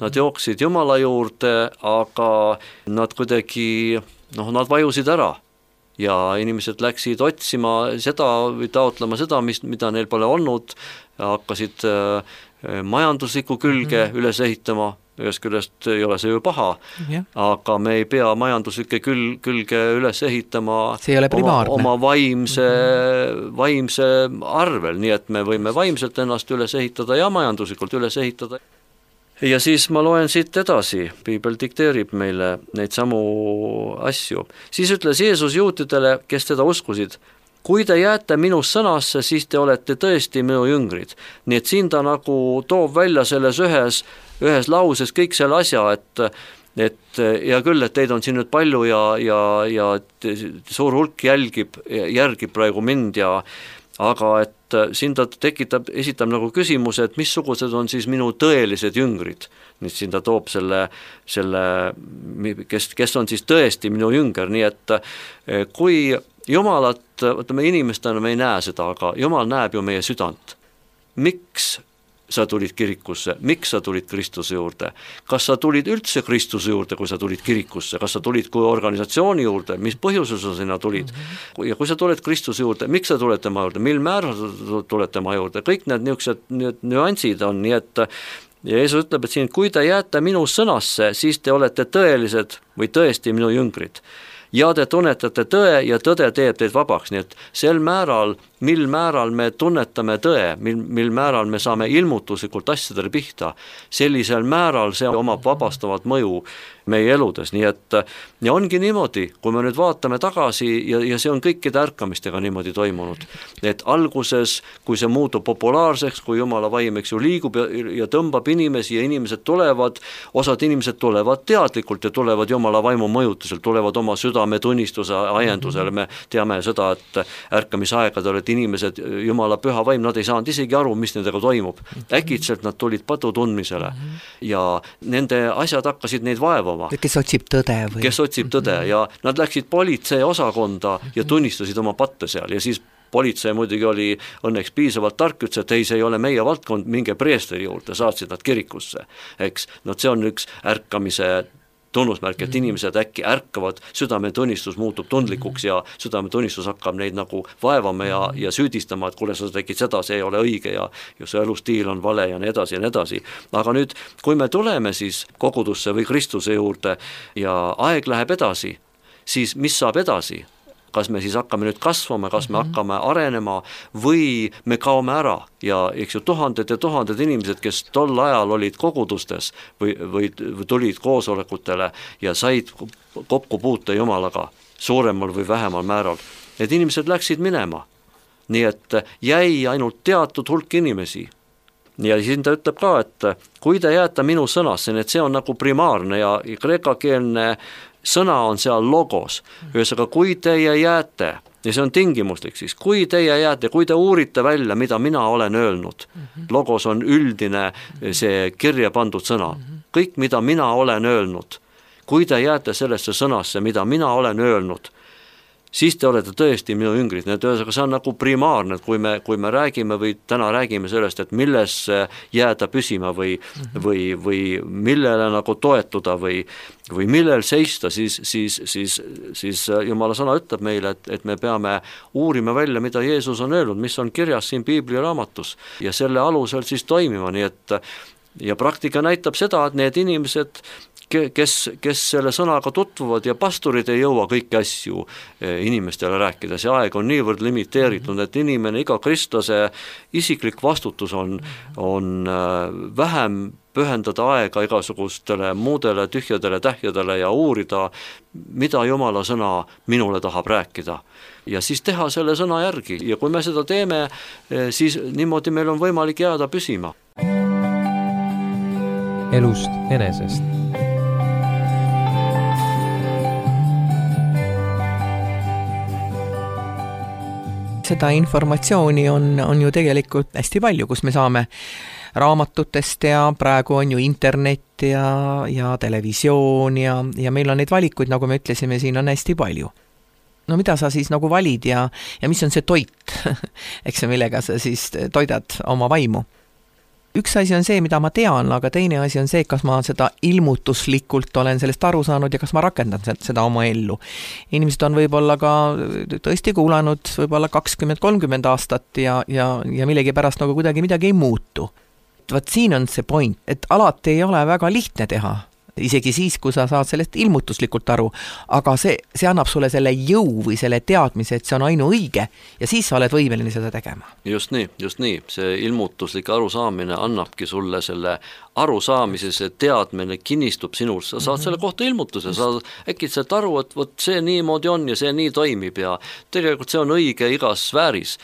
nad jooksid Jumala juurde, aga nad kuidagi, noh, nad vajusid ära ja inimesed läksid otsima seda või taotlema seda, mis, mida neil pole olnud, hakkasid majandusliku külge mm-hmm. üles ehitama, ühest küljest ei ole see ju paha, yeah. aga me ei pea majanduslikke küll, külge üles ehitama oma, oma vaimse, mm-hmm. vaimse arvel, nii et me võime vaimselt ennast üles ehitada ja majanduslikult üles ehitada. ja siis ma loen siit edasi, piibel dikteerib meile neid samu asju. Siis ütles Jeesus juutidele, kes teda uskusid, kui te jääte minu sõnasse, siis te olete tõesti minu jüngrid. Nii et siin ta nagu toob välja selles ühes, ühes lauses kõik selle asja, et et ja küll, et teid on siin nüüd palju ja, ja, ja suur hulk jälgib, järgib praegu mind ja aga et siin ta tekitab, esitab nagu küsimuse, et missugused on siis minu tõelised jüngrid. Nüüd siin ta toob selle, selle kes, kes on siis tõesti minu jünger, nii et kui Jumalat, võtame inimestena, me ei näe seda, aga Jumal näeb ju meie südant. Miks sa tulid kirikusse, miks sa tulid Kristuse juurde, kas sa tulid üldse Kristuse juurde, kui sa tulid kirikusse, kas sa tulid kui organisatsiooni juurde, mis põhjusel sa sinna tulid mm-hmm. ja kui sa tuled Kristuse juurde, miks sa tuled tema juurde, mil määral sa tuled tema juurde, kõik need niisugused need nüansid on, nii et ja Jeesus ütleb, et siin, kui te jääte minu sõnasse, siis te olete tõelised või tõesti minu jüngrid ja te tunnetate tõe ja tõde teeb teid vabaks, nii et sel määral, mil määral me tunnetame tõe, mil, mil määral me saame ilmutuslikult asjadele pihta, sellisel määral see omab vabastavat mõju meie eludes, nii et ja ongi niimoodi, kui me nüüd vaatame tagasi ja, ja see on kõikide ärkamistega niimoodi toimunud, et alguses, kui see muutub populaarseks, kui Jumala vaim, eks ju, liigub ja, ja tõmbab inimesi ja inimesed tulevad, osad inimesed tulevad teadlikult ja tulevad Jumala vaimu mõjutusel, tulevad oma südametunnistuse ajendusele, me teame seda, et ärkamisaegadel, et inimesed, Jumala püha vaim, nad ei saanud isegi aru, mis nendega toimub. Äkitselt nad tulid padu tundmisele ja nende asjad hakkasid neid vaevama. Kes otsib tõde või? Kes otsib tõde ja nad läksid politsei osakonda ja tunnistasid oma patte seal ja siis politsei muidugi oli õnneks piisavalt tark, ütles, et ei, see ei ole meie valdkond, minge preesteri juurde, saatsid nad kirikusse. Eks, no see on üks ärkamise tunnusmärk, et inimesed äkki ärkavad, südametunnistus muutub tundlikuks ja südametunnistus hakkab neid nagu vaevama ja, ja süüdistama, et kuule, sa tegid seda, see ei ole õige ja, ja see elustiil on vale ja nii edasi ja nii edasi. Aga nüüd, kui me tuleme siis kogudusse või Kristuse juurde ja aeg läheb edasi, siis mis saab edasi? Kas me siis hakkame nüüd kasvama, kas me hakkame arenema või me kaome ära ja eks ju tuhanded ja tuhanded inimesed, kes tol ajal olid kogudustes või, või, või tulid koosolekutele ja said kokku puuta Jumalaga suuremal või vähemal määral. Need inimesed läksid minema, nii et jäi ainult teatud hulk inimesi. Ja siin ta ütleb ka, et kui te jääte minu sõnasse, et see on nagu primaarne ja kreekakeelne sõna on seal logos, ühesõnaga kui teie jääte, ja see on tingimuslik siis, kui teie jääte, kui te uurite välja, mida mina olen öelnud, logos on üldine see kirja pandud sõna, kõik mida mina olen öelnud, kui te jääte sellesse sõnasse, mida mina olen öelnud, siis te olete tõesti minu jüngrid, need ühesõnaga see on nagu primaarne, kui me, kui me räägime või täna räägime sellest, et milles jääda püsima või, või, või millele nagu toetuda või, või millel seista, siis, siis, siis, siis Jumala sõna ütleb meile, et, et me peame uurima välja, mida Jeesus on öelnud, mis on kirjas siin Piibli raamatus ja selle alusel siis toimima, nii et ja praktika näitab seda, et need inimesed kes, kes selle sõnaga tutvuvad ja pastorid ei jõua kõiki asju inimestele rääkida, see aeg on niivõrd limiteeritud, et inimene, iga kristlase isiklik vastutus on, on vähem pühendada aega igasugustele muudele tühjadele tähjadele ja uurida, mida Jumala sõna minule tahab rääkida. Ja siis teha selle sõna järgi ja kui me seda teeme, siis niimoodi meil on võimalik jääda püsima. Elust enesest. Seda informatsiooni on, on ju tegelikult hästi palju, kus me saame raamatutest ja praegu on ju internet ja, ja televisioon ja, ja meil on neid valikuid, nagu me ütlesime, siin on hästi palju. No mida sa siis nagu valid ja, ja mis on see toit, eks see, millega sa siis toidad oma vaimu? Üks asi on see, mida ma tean, aga teine asi on see, kas ma seda ilmutuslikult olen sellest aru saanud ja kas ma rakendan seda oma ellu. Inimesed on võib-olla ka tõesti kuulanud võib-olla kakskümmend kolmkümmend aastat ja, ja, ja millegi pärast nagu kuidagi midagi ei muutu. Vaat siin on see point, et alati ei ole väga lihtne teha, isegi siis, kui sa saad sellest ilmutuslikult aru, aga see, see annab sulle selle jõu või selle teadmise, et see on ainu õige ja siis sa oled võimeline seda tegema. Just nii, just nii, see ilmutuslik arusaamine annabki sulle selle arusaamise, see teadmine kinnistub sinul, sa saad selle kohta ilmutuse, sa äkitselt aru, et võt see niimoodi on ja see nii toimib ja tegelikult see on õige igas sfääris,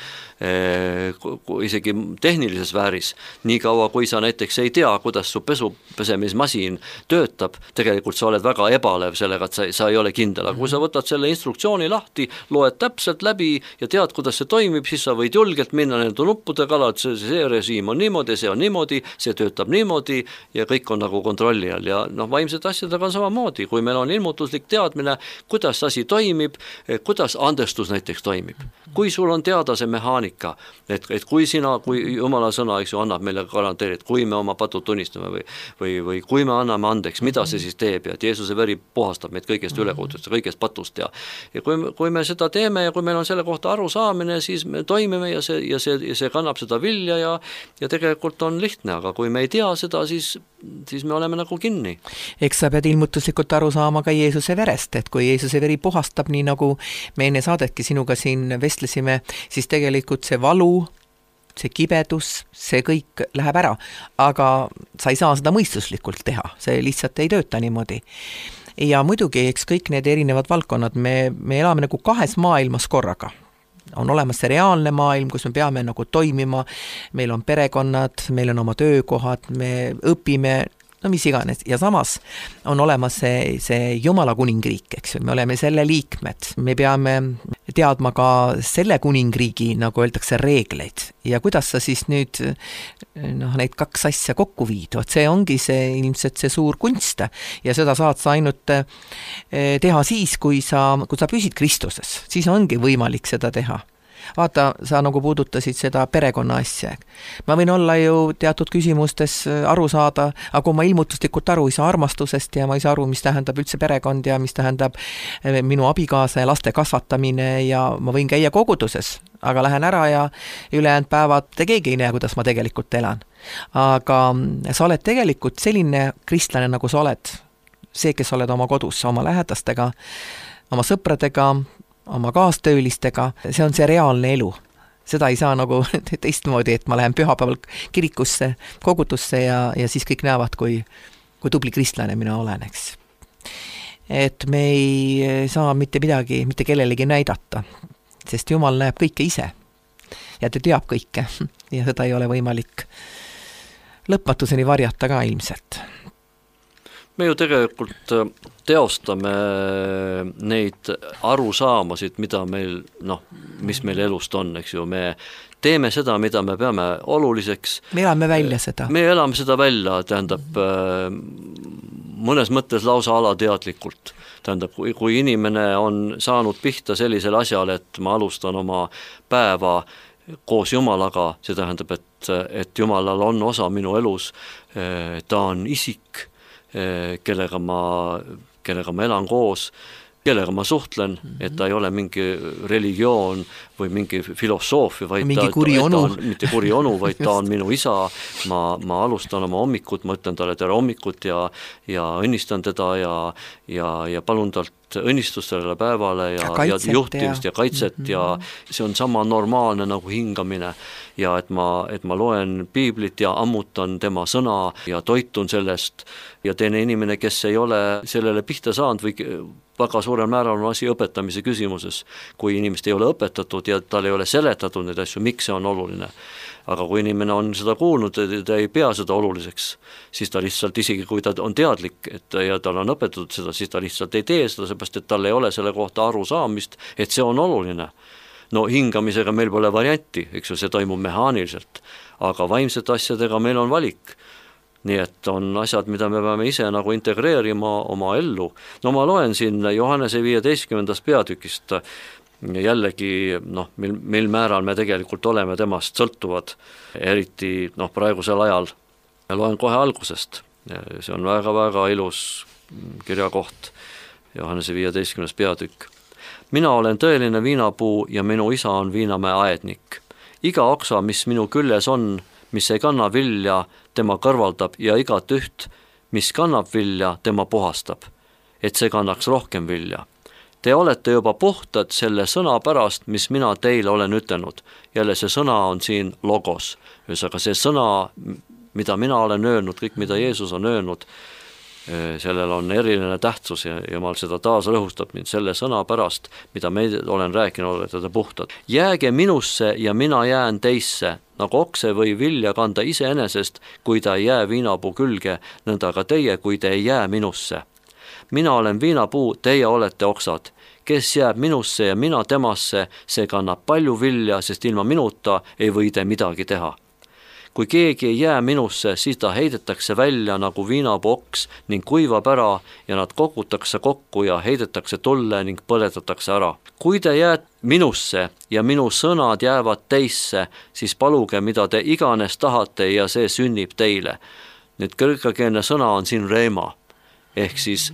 isegi tehnilises sfääris, nii kaua kui sa näiteks ei tea, kuidas su pesu pesemismasin töötab, tegelikult sa oled väga ebalev sellega, et sa, sa ei ole kindel, aga kui sa võtad selle instruktsiooni lahti, loed täpselt läbi ja tead, kuidas see toimib, siis sa võid julgelt minna nende nuppude kala, et see, see režiim on niimoodi, see on niimoodi, see töötab niimoodi ja kõik on nagu kontrolli all ja noh, vaimsed asjadega on samamoodi, kui meil on ilmutuslik teadmine, kuidas asi toimib, kuidas andestus näiteks toimib, kui sul on teada see mehaanika, et, et kui sina, kui Jumala sõna, eks ju, annab meile garanteerida, kui me oma patud tunnistame või, või, või kui me anname andeks, mida see siis teeb ja et Jeesuse veri puhastab meid kõigest ülekutust ja kõigest patust ja, ja kui, kui me seda teeme ja kui meil on selle kohta arusaamine, siis me toimime ja see, ja see, ja see kannab seda vilja ja, ja tegelikult on lihtne, aga kui me ei tea seda, siis, siis me oleme nagu kinni. Eks sa pead ilmutuslikult aru saama ka Jeesuse verest, et kui Jeesuse veri puhastab, nii nagu me enne saadetki sinuga siin vestlesime, siis tegelikult see valu, see kibedus, see kõik läheb ära, aga sa ei saa seda mõistuslikult teha, see lihtsalt ei tööta niimoodi. Ja muidugi, eks kõik need erinevad valdkonnad, me, me elame nagu kahes maailmas korraga. On olemas see reaalne maailm, kus me peame nagu toimima, meil on perekonnad, meil on oma töökohad, me õpime, no mis iganes, ja samas on olemas see, see Jumala kuningriik, eks ju, me oleme selle liikmed, me peame teadma ka selle kuningriigi, nagu öeldakse, reegleid ja kuidas sa siis nüüd noh, neid kaks asja kokku viid, vot see ongi see ilmselt see suur kunst ja seda saad sa ainult teha siis, kui sa, kui sa püsid Kristuses, siis ongi võimalik seda teha. Vaata, sa nagu puudutasid seda perekonna asja. Ma võin olla ju teatud küsimustes aru saada, aga kui ma ilmutuslikult aru ei saa armastusest ja ma ei saa aru, mis tähendab üldse perekond ja mis tähendab minu abikaasa ja laste kasvatamine ja ma võin käia koguduses, aga lähen ära ja ülejäänud päevad te keegi ei näe, kuidas ma tegelikult elan. Aga sa oled tegelikult selline kristlane, nagu sa oled. See, kes oled oma kodus, oma lähedastega, oma sõpradega, oma kaastöölistega, see on see reaalne elu. Seda ei saa nagu teistmoodi, et ma lähen pühapäeval kirikusse, kogudusse ja, ja siis kõik näevad, kui, kui tubli kristlane mina olen, eks. Et me ei saa mitte midagi, mitte kellelegi näidata, sest Jumal näeb kõike ise ja ta teab kõike ja seda ei ole võimalik lõpmatuseni varjata ka ilmselt. Me ju tegelikult teostame neid arusaamasid, mida meil, noh, mis meil elust on, eks ju, me teeme seda, mida me peame oluliseks. Me elame välja seda. Me elame seda välja, tähendab, mõnes mõttes lausa alateadlikult. Tähendab, kui, kui inimene on saanud pihta sellisel asjal, et ma alustan oma päeva koos Jumalaga, see tähendab, et, et Jumalal on osa minu elus, ta on isik, kellega ma, kellega ma elan koos, kellega ma suhtlen, et ta ei ole mingi religioon või mingi filosoofia, vaid mingi ta, kuri ta, onu. ta on mitte kuri onu, vaid ta on minu isa, ma, ma alustan oma hommikut, ma ütlen talle tere hommikut ja, ja õnnistan teda ja, ja, ja palun talt õnnistust sellele päevale ja, ja, ja juhtimist ja, ja kaitset mm-hmm. ja see on sama normaalne nagu hingamine ja et ma, et ma loen piiblit ja ammutan tema sõna ja toitun sellest ja teine inimene, kes ei ole sellele pihta saanud või väga suurel määral on asi õpetamise küsimuses, kui inimest ei ole õpetatud ja tal ei ole seletatud neid asju, miks see on oluline. Aga kui inimene on seda kuulnud, ta ei pea seda oluliseks, siis ta lihtsalt, isegi kui ta on teadlik et, ja tal on õpetatud seda, siis ta lihtsalt ei tee seda, seepärast et tal ei ole selle kohta aru saamist, et see on oluline. No hingamisega meil pole varianti, eks ju, see toimub mehaaniliselt, aga vaimsete asjadega meil on valik. Nii et on asjad, mida me peame ise nagu integreerima oma ellu. No ma loen siin Johannese viieteistkümnendast peatükist, jällegi, noh, mil, mil määral me tegelikult oleme temast sõltuvad, eriti noh, praegusel ajal. Ja loen kohe algusest. See on väga-väga ilus kirjakoht, Johannese viieteistkümnes peatükk. Mina olen tõeline viinapuu ja minu isa on viinamäe aednik. Iga oksa, mis minu küljes on, mis ei kanna vilja, tema kõrvaldab ja igat üht, mis kannab vilja, tema puhastab, et see kannaks rohkem vilja. Te olete juba puhtad selle sõna pärast, mis mina teile olen ütelnud. Jälle see sõna on siin logos. Ühesõnaga see sõna, mida mina olen öelnud, kõik mida Jeesus on öelnud, sellel on eriline tähtsus ja Jumal seda taas rõhustab mind selle sõna pärast, mida me olen rääkinud, olete te puhtad. Jääge minusse ja mina jään teisse, nagu okse või vilja kanda iseenesest, kui ta ei jää viinapuu külge, nõnda ka teie, kui te ei jää minusse. Mina olen viinapuu, teie olete oksad. Kes jääb minusse ja mina temasse, see kannab palju vilja, sest ilma minuta ei või te midagi teha. Kui keegi ei jää minusse, siis ta heidetakse välja nagu viinapoks ning kuivab ära ja nad kogutakse kokku ja heidetakse tulle ning põletatakse ära. Kui te jääd minusse ja minu sõnad jäävad teisse, siis paluge, mida te iganes tahate ja see sünnib teile. Nüüd kreekakeelne sõna on siin reema, ehk siis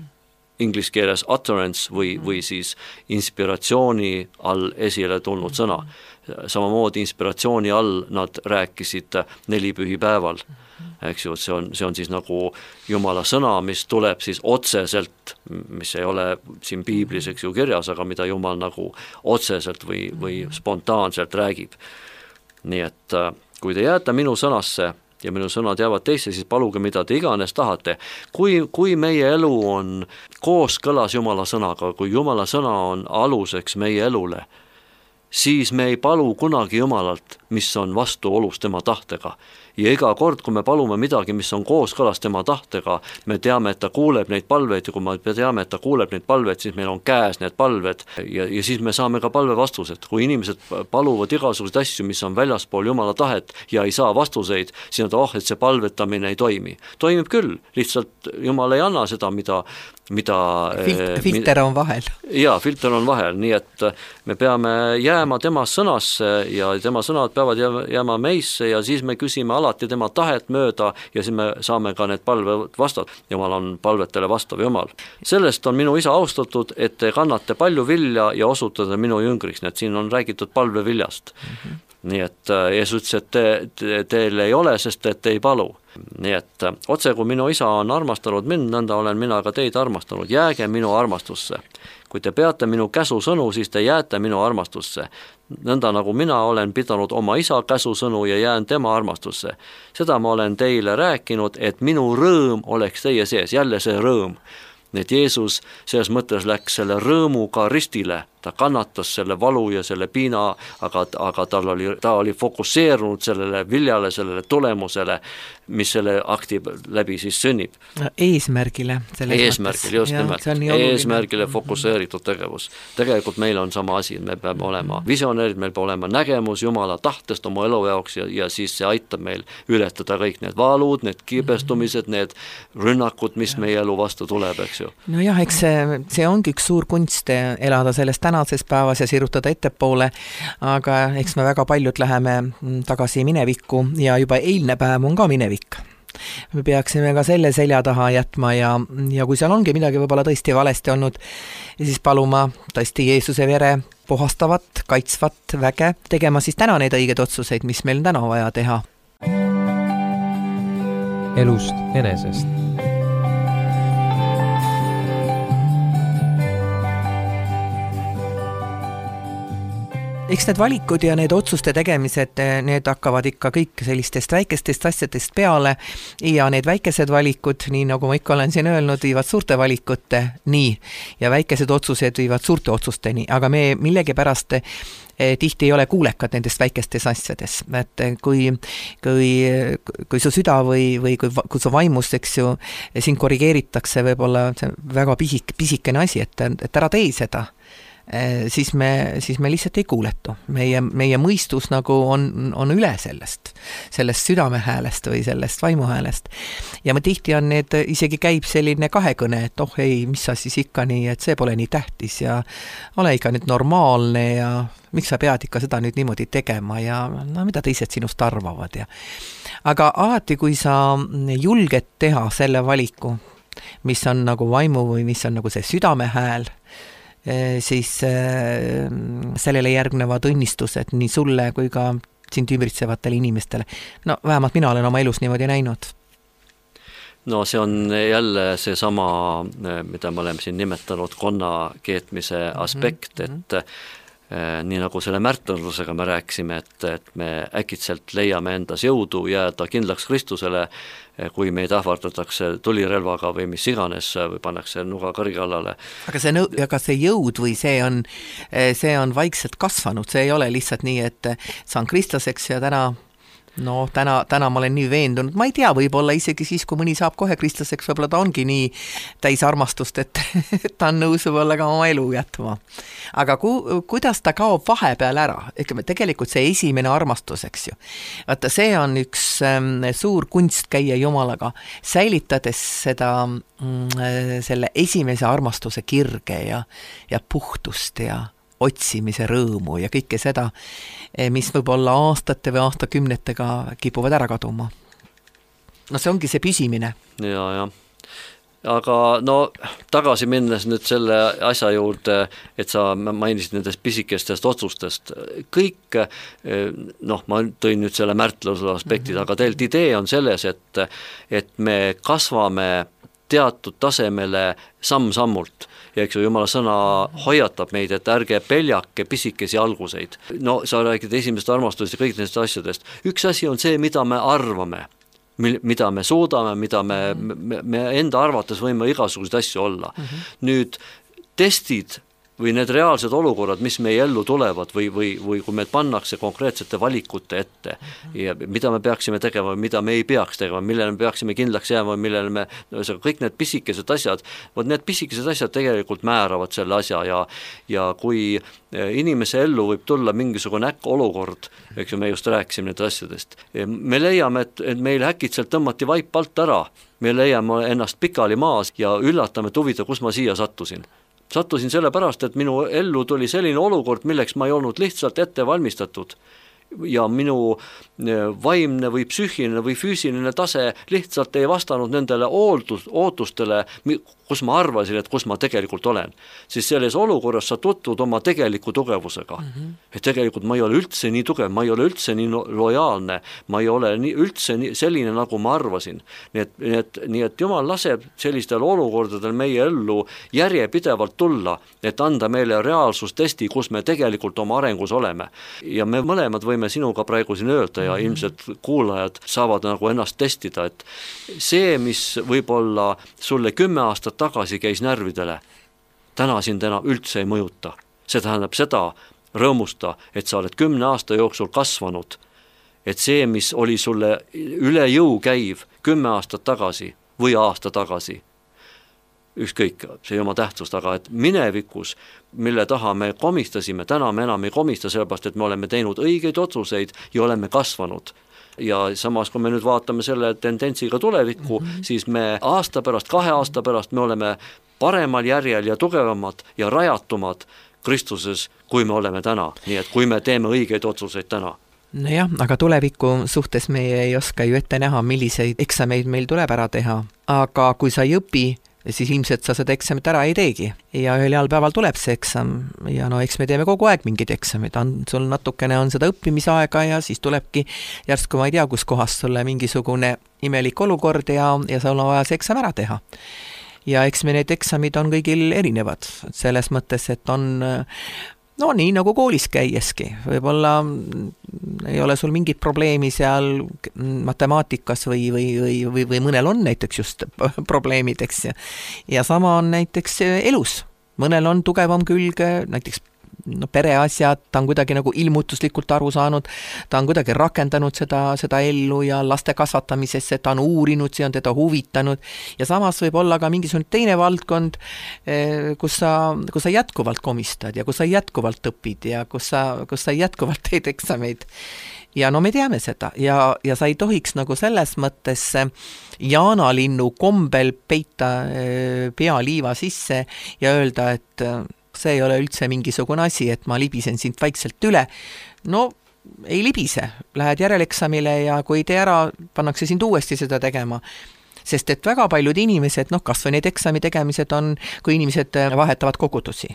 inglise keeles utterance või, või siis inspiratsiooni all esile tulnud sõna. Samamoodi inspiratsiooni all nad rääkisid nelipühipäeval, eks ju, see on, see on siis nagu Jumala sõna, mis tuleb siis otseselt, mis ei ole siin piiblis, eks ju, kirjas, aga mida Jumal nagu otseselt või, või spontaanselt räägib. Nii et kui te jääte minu sõnasse ja minu sõnad jäävad teisse, siis paluge, mida te iganes tahate. Kui, kui meie elu on kooskõlas Jumala sõnaga, kui Jumala sõna on aluseks meie elule, siis me ei palu kunagi Jumalalt, mis on vastuolus tema tahtega. Ja iga kord, kui me palume midagi, mis on kooskõlas tema tahtega, me teame, et ta kuuleb neid palveid ja kui me teame, et ta kuuleb neid palveid, siis meil on käes need palved ja, ja siis me saame ka palve vastused. Kui inimesed paluvad igasuguseid asju, mis on väljaspool Jumala tahet ja ei saa vastuseid, siis on ta, oh, et see palvetamine ei toimi. Toimib küll, lihtsalt Jumal ei anna seda, mida mida Filt, filter on vahel. Jaa, filter on vahel, nii et me peame jääma tema sõnasse ja tema sõnad peavad jääma meisse ja siis me küsime alati tema tahet mööda ja siis me saame ka need palved vastata. Jumal on palvetele vastav Jumal. Sellest on minu isa austatud, et te kannate palju vilja ja osutada minu jüngriks, nii et siin on räägitud palveviljast. Mm-hmm. Nii et Jeesus ütles, et te, te, teil ei ole, sest et te ei palu. Nii et otse kui minu isa on armastanud mind, nõnda olen mina ka teid armastanud. Jääge minu armastusse. Kui te peate minu käsusõnu, siis te jääte minu armastusse. Nõnda nagu mina olen pidanud oma isa käsusõnu ja jään tema armastusse. Seda ma olen teile rääkinud, et minu rõõm oleks teie sees. Jälle see rõõm. Nii et Jeesus selles mõttes läks selle rõõmuga ristile, ta kannatas selle valu ja selle piina, aga, aga tal oli, ta oli fokusseerunud sellele viljale, sellele tulemusele, mis selle akti läbi siis sünnib. Eesmärgile. Eesmärgile, just ja, nimelt. Eesmärgile fokusseeritud tegevus. Tegelikult meil on sama asi, me peame olema visionäärid, meil peab olema nägemus Jumala tahtest oma elu jaoks ja, ja siis see aitab meil ületada kõik need valud, need kibestumised, need rünnakud, mis meie elu vastu tuleb, eks ju. No jah, eks see, see ongi üks suur kunst elada sellest tänases päevas ja sirutada ettepoole, aga eks me väga paljud läheme tagasi minevikku ja juba eilne päev on ka minevik. Me peaksime ka selle selja taha jätma ja, ja kui seal ongi midagi võib-olla tõesti valesti olnud, siis paluma tõesti Jeesuse vere puhastavat, kaitsvat väge, tegema siis täna neid õigeid otsuseid, mis meil täna vaja teha. Elust enesest. Eks need valikud ja need otsuste tegemised, need hakkavad ikka kõik sellistest väikestest asjadest peale ja need väikesed valikud, nii nagu ma ikka olen siin öelnud, viivad suurte valikute nii ja väikesed otsused viivad suurte otsusteni, aga me millegipärast tihti ei ole kuulekad nendest väikestes asjades, et kui, kui, kui su süda või, või kui, kui su vaimus, eks ju, siin korrigeeritakse võib-olla väga pisik, pisikene asi, et, et ära tee seda, siis me, siis me lihtsalt ei kuuletu. Meie, meie mõistus nagu on, on üle sellest, sellest südamehäälest või sellest vaimuhäälest. Ja ma tihti on need, isegi käib selline kahekõne, et oh ei, mis sa siis ikka nii, et see pole nii tähtis ja ole ikka nüüd normaalne ja miks sa pead ikka seda nüüd niimoodi tegema ja no mida teised sinust arvavad. Ja. Aga alati, kui sa julged teha selle valiku, mis on nagu vaimu või mis on nagu see südamehääl, siis sellele järgnevad õnnistused nii sulle kui ka sind ümbritsevatele inimestele. No vähemalt mina olen oma elus niimoodi näinud. No see on jälle see sama, mida me oleme siin nimetanud konna keetmise aspekt, et nii nagu selle märtlerlusega me rääkisime, et, et me äkitselt leiame endas jõudu jääda kindlaks Kristusele, kui meid ähvardatakse tulirelvaga või mis iganes või pannakse nuga kõrge allale. Aga see, nõu- aga see jõud või see on, see on vaikselt kasvanud, see ei ole lihtsalt nii, et saan kristlaseks ja täna no täna, täna ma olen nii veendunud, ma ei tea, võib-olla isegi siis, kui mõni saab kohe kristlaseks, võib-olla ta ongi nii täis armastust, et ta on nõus võib-olla ka oma elu jätma. Aga ku, kuidas ta kaob vahepeal ära? Ütleme, tegelikult see esimene armastus, eks ju. Vaata, see on üks ähm, suur kunst käia Jumalaga, säilitades seda, mm, selle esimese armastuse kirge ja, ja puhtust ja otsimise rõõmu ja kõike seda, mis võib-olla aastate või aastakümnetega kipuvad ära kaduma. No see ongi see püsimine. Ja, ja. Aga no tagasi minnes nüüd selle asja juurde, et sa mainisid nendest pisikestest otsustest, kõik, noh, ma tõin nüüd selle märtluse aspektid, mm-hmm. aga tegelikult idee on selles, et, et me kasvame teatud tasemele samm-sammult. Ja eks ju Jumala sõna hoiatab meid, et ärge peljake pisikesi alguseid. No sa räägid esimesest armastusest ja kõik nendest asjadest. Üks asi on see, mida me arvame, mida me suudame, mida me, me, me enda arvates võime igasuguseid asju olla. Mm-hmm. Nüüd testid või need reaalsed olukorrad, mis meie ellu tulevad või, või, või kui meil pannakse konkreetsete valikute ette ja mida me peaksime tegema, mida me ei peaks tegema, millele me peaksime kindlaks jääma, millele me, no, kõik need pisikesed asjad, võt need pisikesed asjad tegelikult määravad selle asja ja, ja kui inimese ellu võib tulla mingisugune äkk olukord, eks ju, me just rääkisime need asjadest, me leiame, et, et meil äkitselt tõmmati vaip alt ära, me leiame ennast pikali maas ja üllatame, et huvita, kus ma siia sattusin. Sattusin sellepärast, et minu ellu tuli selline olukord, milleks ma ei olnud lihtsalt ette valmistatud ja minu vaimne või psüühiline või füüsiline tase lihtsalt ei vastanud nendele ootus, ootustele, kus ma arvasin, et kus ma tegelikult olen. Siis selles olukorras sa tutvud oma tegeliku tugevusega. Mm-hmm. Et tegelikult ma ei ole üldse nii tugev, ma ei ole üldse nii lojaalne, ma ei ole nii, üldse nii, selline, nagu ma arvasin. Nii et, nii, et, nii et Jumal laseb sellistel olukordadel meie ellu järjepidevalt tulla, et anda meile reaalsustesti, kus me tegelikult oma arengus oleme. Ja me mõlemad võime sinuga praegu siin öelda ja mm-hmm. ilmselt kuulajad saavad nagu ennast testida, et see, mis võib-olla sulle kümme aastat tagasi käis närvidele, täna sind enam üldse ei mõjuta. See tähendab seda, rõõmusta, et sa oled kümne aasta jooksul kasvanud, et see, mis oli sulle üle jõu käiv kümme aastat tagasi või aasta tagasi, ükskõik, see ei oma tähtsust, aga et minevikus, mille taha me komistasime, täna me enam ei komista, sellepärast, et me oleme teinud õigeid otsuseid ja oleme kasvanud. Ja samas, kui me nüüd vaatame selle tendentsiga tulevikku, mm-hmm. siis me aasta pärast, kahe aasta pärast me oleme paremal järjel ja tugevamad ja rajatumad Kristuses, kui me oleme täna. Nii et kui me teeme õigeid otsuseid täna. No jah, aga tuleviku suhtes me ei oska ju ette näha, milliseid eksameid meil tuleb ära teha. Aga kui sa ei õpi, siis ilmselt sa seda eksamit ära ei teegi. Ja ühel heal päeval tuleb see eksam ja no eks me teeme kogu aeg mingid eksamid. On, sul natukene on seda õppimisaega ja siis tulebki järsku ma ei tea, kus kohas sulle mingisugune imelik olukord ja, ja sul on vaja see eksam ära teha. Ja eks me need eksamid on kõigil erinevad. Selles mõttes, et on no nii nagu koolis käieski, võib-olla ei ole sul mingit probleemi seal matemaatikas või, või, või, või, või mõnel on näiteks just probleemid, eks ja. ja sama on näiteks elus, mõnel on tugevam külg, näiteks no, pereasjad, ta on kuidagi nagu ilmutuslikult aru saanud, ta on kuidagi rakendanud seda, seda ellu ja laste kasvatamisesse, ta on uurinud, see on teda huvitanud ja samas võib olla ka mingisugune teine valdkond, kus sa, kus sa jätkuvalt komistad ja kus sa jätkuvalt õpid ja kus sa, kus sa jätkuvalt teed eksameid. Ja no me teame seda ja, ja sa ei tohiks nagu selles mõttes jaanalinnu kombel peita pea liiva sisse ja öelda, et see ei ole üldse mingisugune asi, et ma libisen sind vaikselt üle. No ei libise, lähed järeleksamile ja kui ei tee ära, pannakse sind uuesti seda tegema. Sest et väga paljud inimesed, noh kas või need eksami tegemised on, kui inimesed vahetavad kogudusi.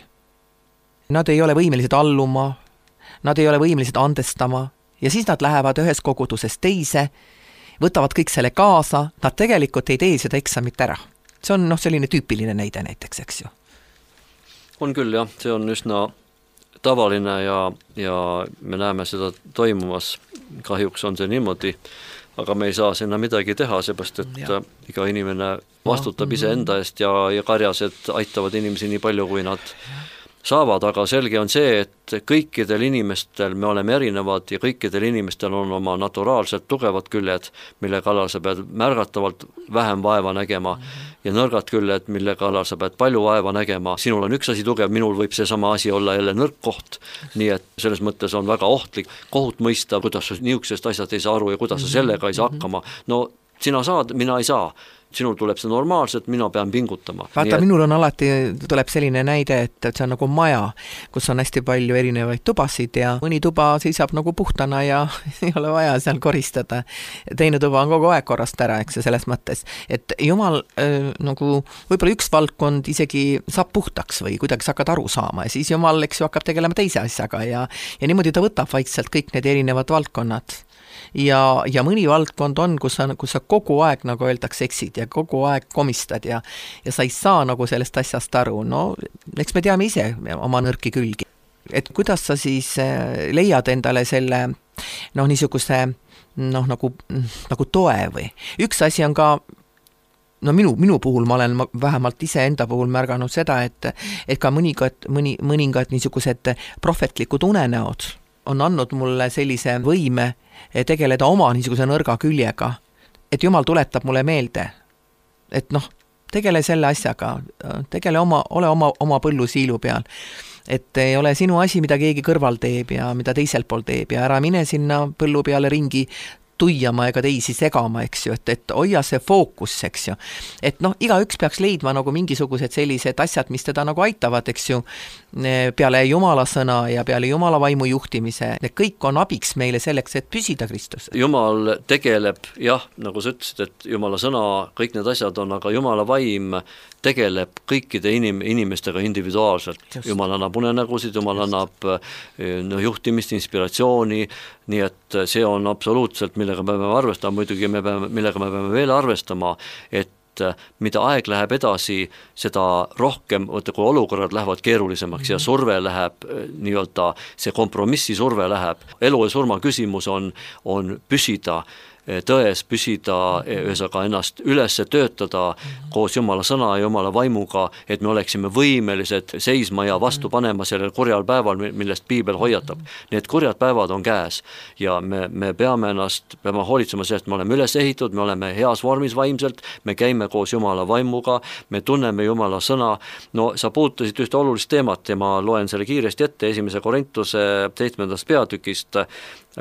Nad ei ole võimelised alluma, nad ei ole võimelised andestama ja siis nad lähevad ühes koguduses teise, võtavad kõik selle kaasa, nad tegelikult ei tee seda eksamit ära. See on noh, selline tüüpiline näide näiteks, eks ju. On küll jah, see on üsna tavaline ja, ja me näeme seda toimumas, kahjuks on see niimoodi, aga me ei saa sinna midagi teha, seepärast, et ja. iga inimene vastutab no. ise enda eest ja, ja karjased aitavad inimesi nii palju, kui nad saavad, aga selge on see, et kõikidel inimestel me oleme erinevad ja kõikidel inimestel on oma naturaalselt tugevad küljed, mille kallal sa pead märgatavalt vähem vaeva nägema ja nõrgad küljed, mille kallal sa pead palju vaeva nägema. Sinul on üks asi tugev, minul võib see sama asi olla jälle nõrk koht, nii et selles mõttes on väga ohtlik kohut mõista, kuidas sa niisugusest asjad ei saa aru ja kuidas sa sellega ei saa hakkama. No sina saad, mina ei saa. Sinul tuleb see normaalselt, mina pean pingutama. Vaata, et... minul on alati, tuleb selline näide, et see on nagu maja, kus on hästi palju erinevaid tubasid ja mõni tuba seisab nagu puhtana ja ei ole vaja seal koristada. Teine tuba on kogu aeg korrast ära, eks ja selles mõttes, et jumal äh, nagu võib-olla üks valdkond isegi saab puhtaks või kuidagi sa hakkad aru saama ja siis jumal, eks ju, hakkab tegelema teise asjaga ja, ja niimoodi ta võtab vaikselt kõik need erinevad valdkonnad. Ja, ja mõni valdkond on, kus sa, kus sa kogu aeg, nagu öeldakse, eksid ja kogu aeg komistad ja, ja sa ei saa nagu sellest asjast aru. No, eks me teame ise oma nõrki külgi. Et kuidas sa siis leiad endale selle noh, niisuguse noh, nagu, nagu toe või? Üks asi on ka no minu, minu puhul ma olen vähemalt ise enda puhul märganud seda, et, et ka mõningad, mõni, mõningad niisugused prohvetlikud unenäod on andnud mulle sellise võime tegeleda oma niisuguse nõrga küljega, et jumal tuletab mulle meelde, et noh, tegele selle asjaga, tegele oma, ole oma, oma põllu siilu peal, et ei ole sinu asi, mida keegi kõrval teeb ja mida teisel pool teeb ja ära mine sinna põllu peale ringi tuiama ega teisi segama, eks ju, et, et hoia see fookus, eks ju. Et noh, igaüks peaks leidma nagu mingisugused sellised asjad, mis teda nagu aitavad, eks ju, peale Jumala sõna ja peale Jumala vaimu juhtimise. Need kõik on abiks meile selleks, et püsida Kristus. Jumal tegeleb, jah, nagu sa ütlesid, et Jumala sõna, kõik need asjad on, aga Jumala vaim tegeleb kõikide inim, inimestega individuaalselt. Just. Jumal annab unenägusid, Jumal Just. annab no, juhtimist, inspiratsiooni, nii et see on absoluutselt, millega me peame arvestama, muidugi me peame, millega me peame veel arvestama, et mida aeg läheb edasi, seda rohkem, võtta, kui olukorrad lähevad keerulisemaks mm-hmm. ja surve läheb, nii-öelda see kompromissi surve läheb. Elu ja surma küsimus on, on püsida tões, püsida, ühesõnaga ennast üles töötada koos Jumala sõna ja Jumala vaimuga, et me oleksime võimelised seisma ja vastu panema sellel kurjal päeval, millest Piibel hoiatab. Need kurjad päevad on käes ja me, me peame ennast, peame hoolitsema sellest, me oleme üles ehitud, me oleme heas vormis vaimselt, me käime koos Jumala vaimuga, me tunneme Jumala sõna. No sa puutusid ühte olulist teemat ja ma loen selle kiiresti ette esimese Korintuse seitsmendast peatükist,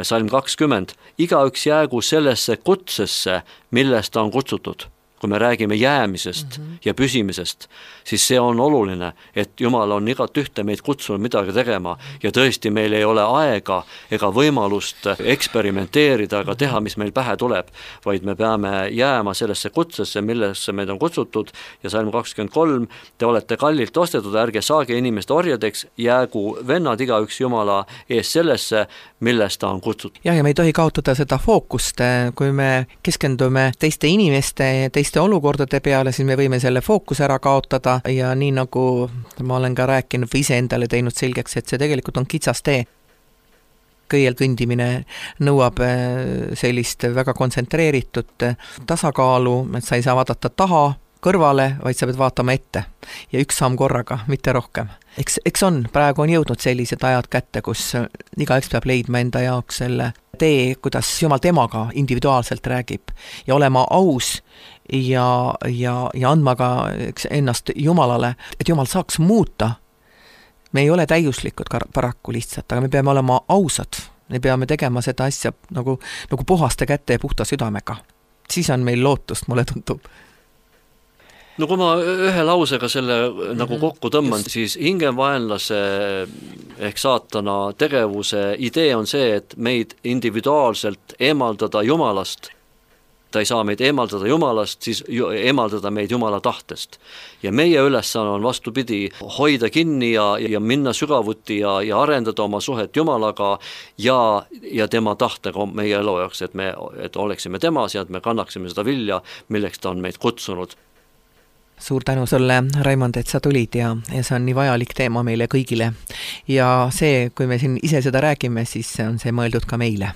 salm kakskümmend. Igaüks jäägu sellesse kutsesse, millest ta on kutsutud. Kui me räägime jäämisest mm-hmm. ja püsimisest, siis see on oluline, et Jumal on igat ühte meid kutsunud midagi tegema ja tõesti meil ei ole aega ega võimalust eksperimenteerida ega teha, mis meil pähe tuleb, vaid me peame jääma sellesse kutsesse, millesse meid on kutsutud ja salm kakskümmend kolm, te olete kallilt ostetud, ärge saage inimeste orjadeks, jäägu vennad igaüks Jumala ees sellesse, millest ta on kutsutud. Ja, ja me ei tohi kaotada seda fookust, kui me keskendume teiste inimeste, teiste olukordade peale, siis me võime selle fookus ära kaotada ja nii nagu ma olen ka rääkinud või ise endale teinud selgeks, et see tegelikult on kitsas tee. Kõiel kõndimine nõuab sellist väga kontsentreeritud tasakaalu, et sa ei saa vaadata taha, kõrvale, vaid sa pead vaatama ette ja üks samm korraga, mitte rohkem. Eks, eks on, praegu on jõudnud sellised ajad kätte, kus igaüks peab leidma enda jaoks selle tee, kuidas Jumal temaga individuaalselt räägib ja olema aus ja, ja, ja andma ka eks, ennast Jumalale, et Jumal saaks muuta. Me ei ole täiuslikud paraku lihtsalt, aga me peame olema ausad. Me peame tegema seda asja nagu, nagu puhaste kätte ja puhta südamega. Siis on meil lootust, mulle tundub. No kui ma ühe lausega selle mm-hmm. nagu kokku tõmban, Just. siis hingevaenlase ehk saatana tegevuse idee on see, et meid individuaalselt eemaldada Jumalast. Ta ei saa meid eemaldada Jumalast, siis eemaldada meid Jumala tahtest. Ja meie ülesanne on vastupidi hoida kinni ja, ja minna sügavuti ja, ja arendada oma suhet Jumalaga ja, ja tema tahtega meie elu jaoks, et me et oleksime temas ja et me kannaksime seda vilja, milleks ta on meid kutsunud. Suur tänu sulle, Raimond, et sa tulid ja, ja see on nii vajalik teema meile kõigile. Ja see, kui me siin ise seda räägime, siis on see mõeldud ka meile.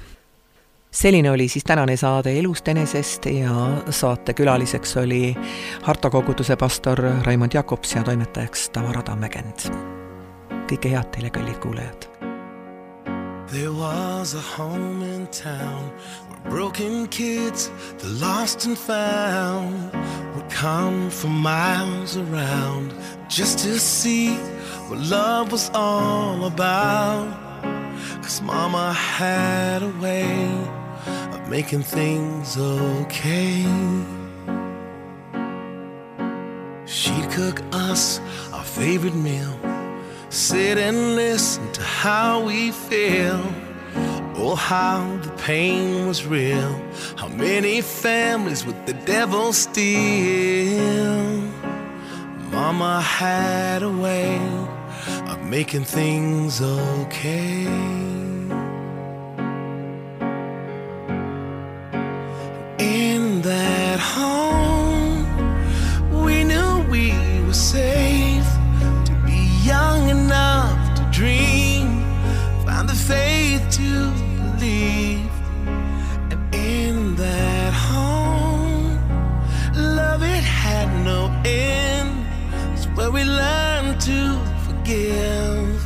Selline oli siis tänane saade Elust enesest ja saate külaliseks oli Harta koguduse pastor Raimond Jakobs ja toimetajaks Tamara Tammekend. Kõike head teile, kallid kuulajad. There was a home in town where broken kids, the lost and found, would come from miles around just to see what love was all about. 'Cause Mama had a way of making things okay. She'd cook us our favorite meal, sit and listen to how we feel. Oh, how the pain was real. How many families with the devil steal. Mama had a way of making things okay. In that home, we knew we were safe. Young enough to dream, found the faith to believe. And in that home, love it had no end. It's where we learned to forgive.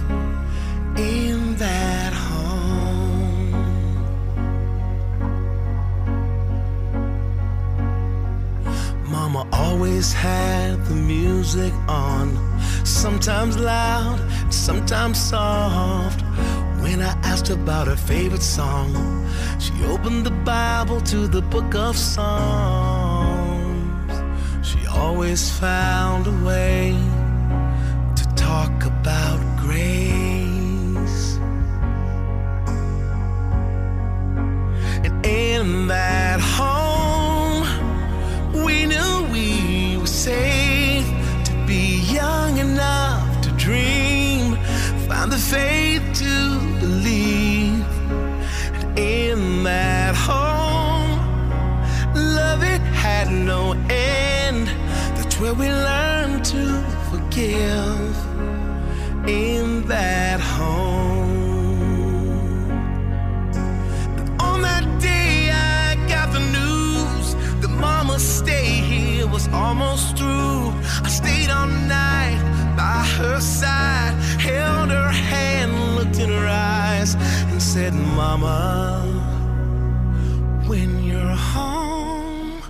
In that home, Mama always had the music on, sometimes loud, sometimes soft. When I asked about her favorite song, she opened the Bible to the book of Psalms. She always found a way to talk about grace. And in that home, we knew we were safe. Young enough to dream, found the faith to believe. And in that home, love it had no end. That's where we learned to forgive. In that home. But on that day I got the news that Mama's stay here was almost through. I stayed all night by her side, held her hand, looked in her eyes, and said, Mama, when you're home,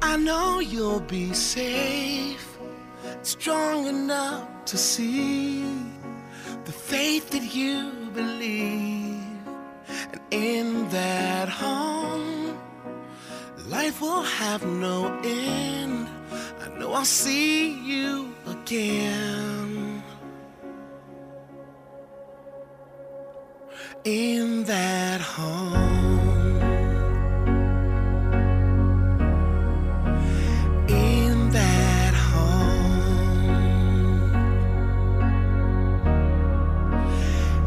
I know you'll be safe, strong enough to see the faith that you believe. And in that home, life will have no end. I know I'll see you again. In that home. In that home.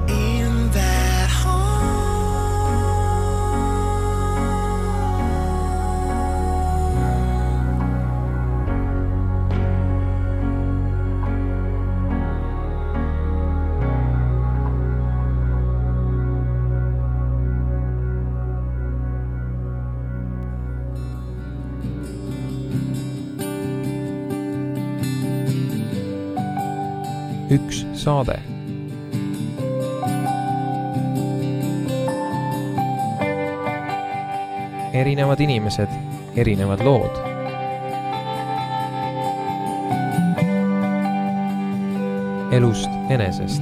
In that Üks saade. Erinevad inimesed, erinevad lood. Elust enesest.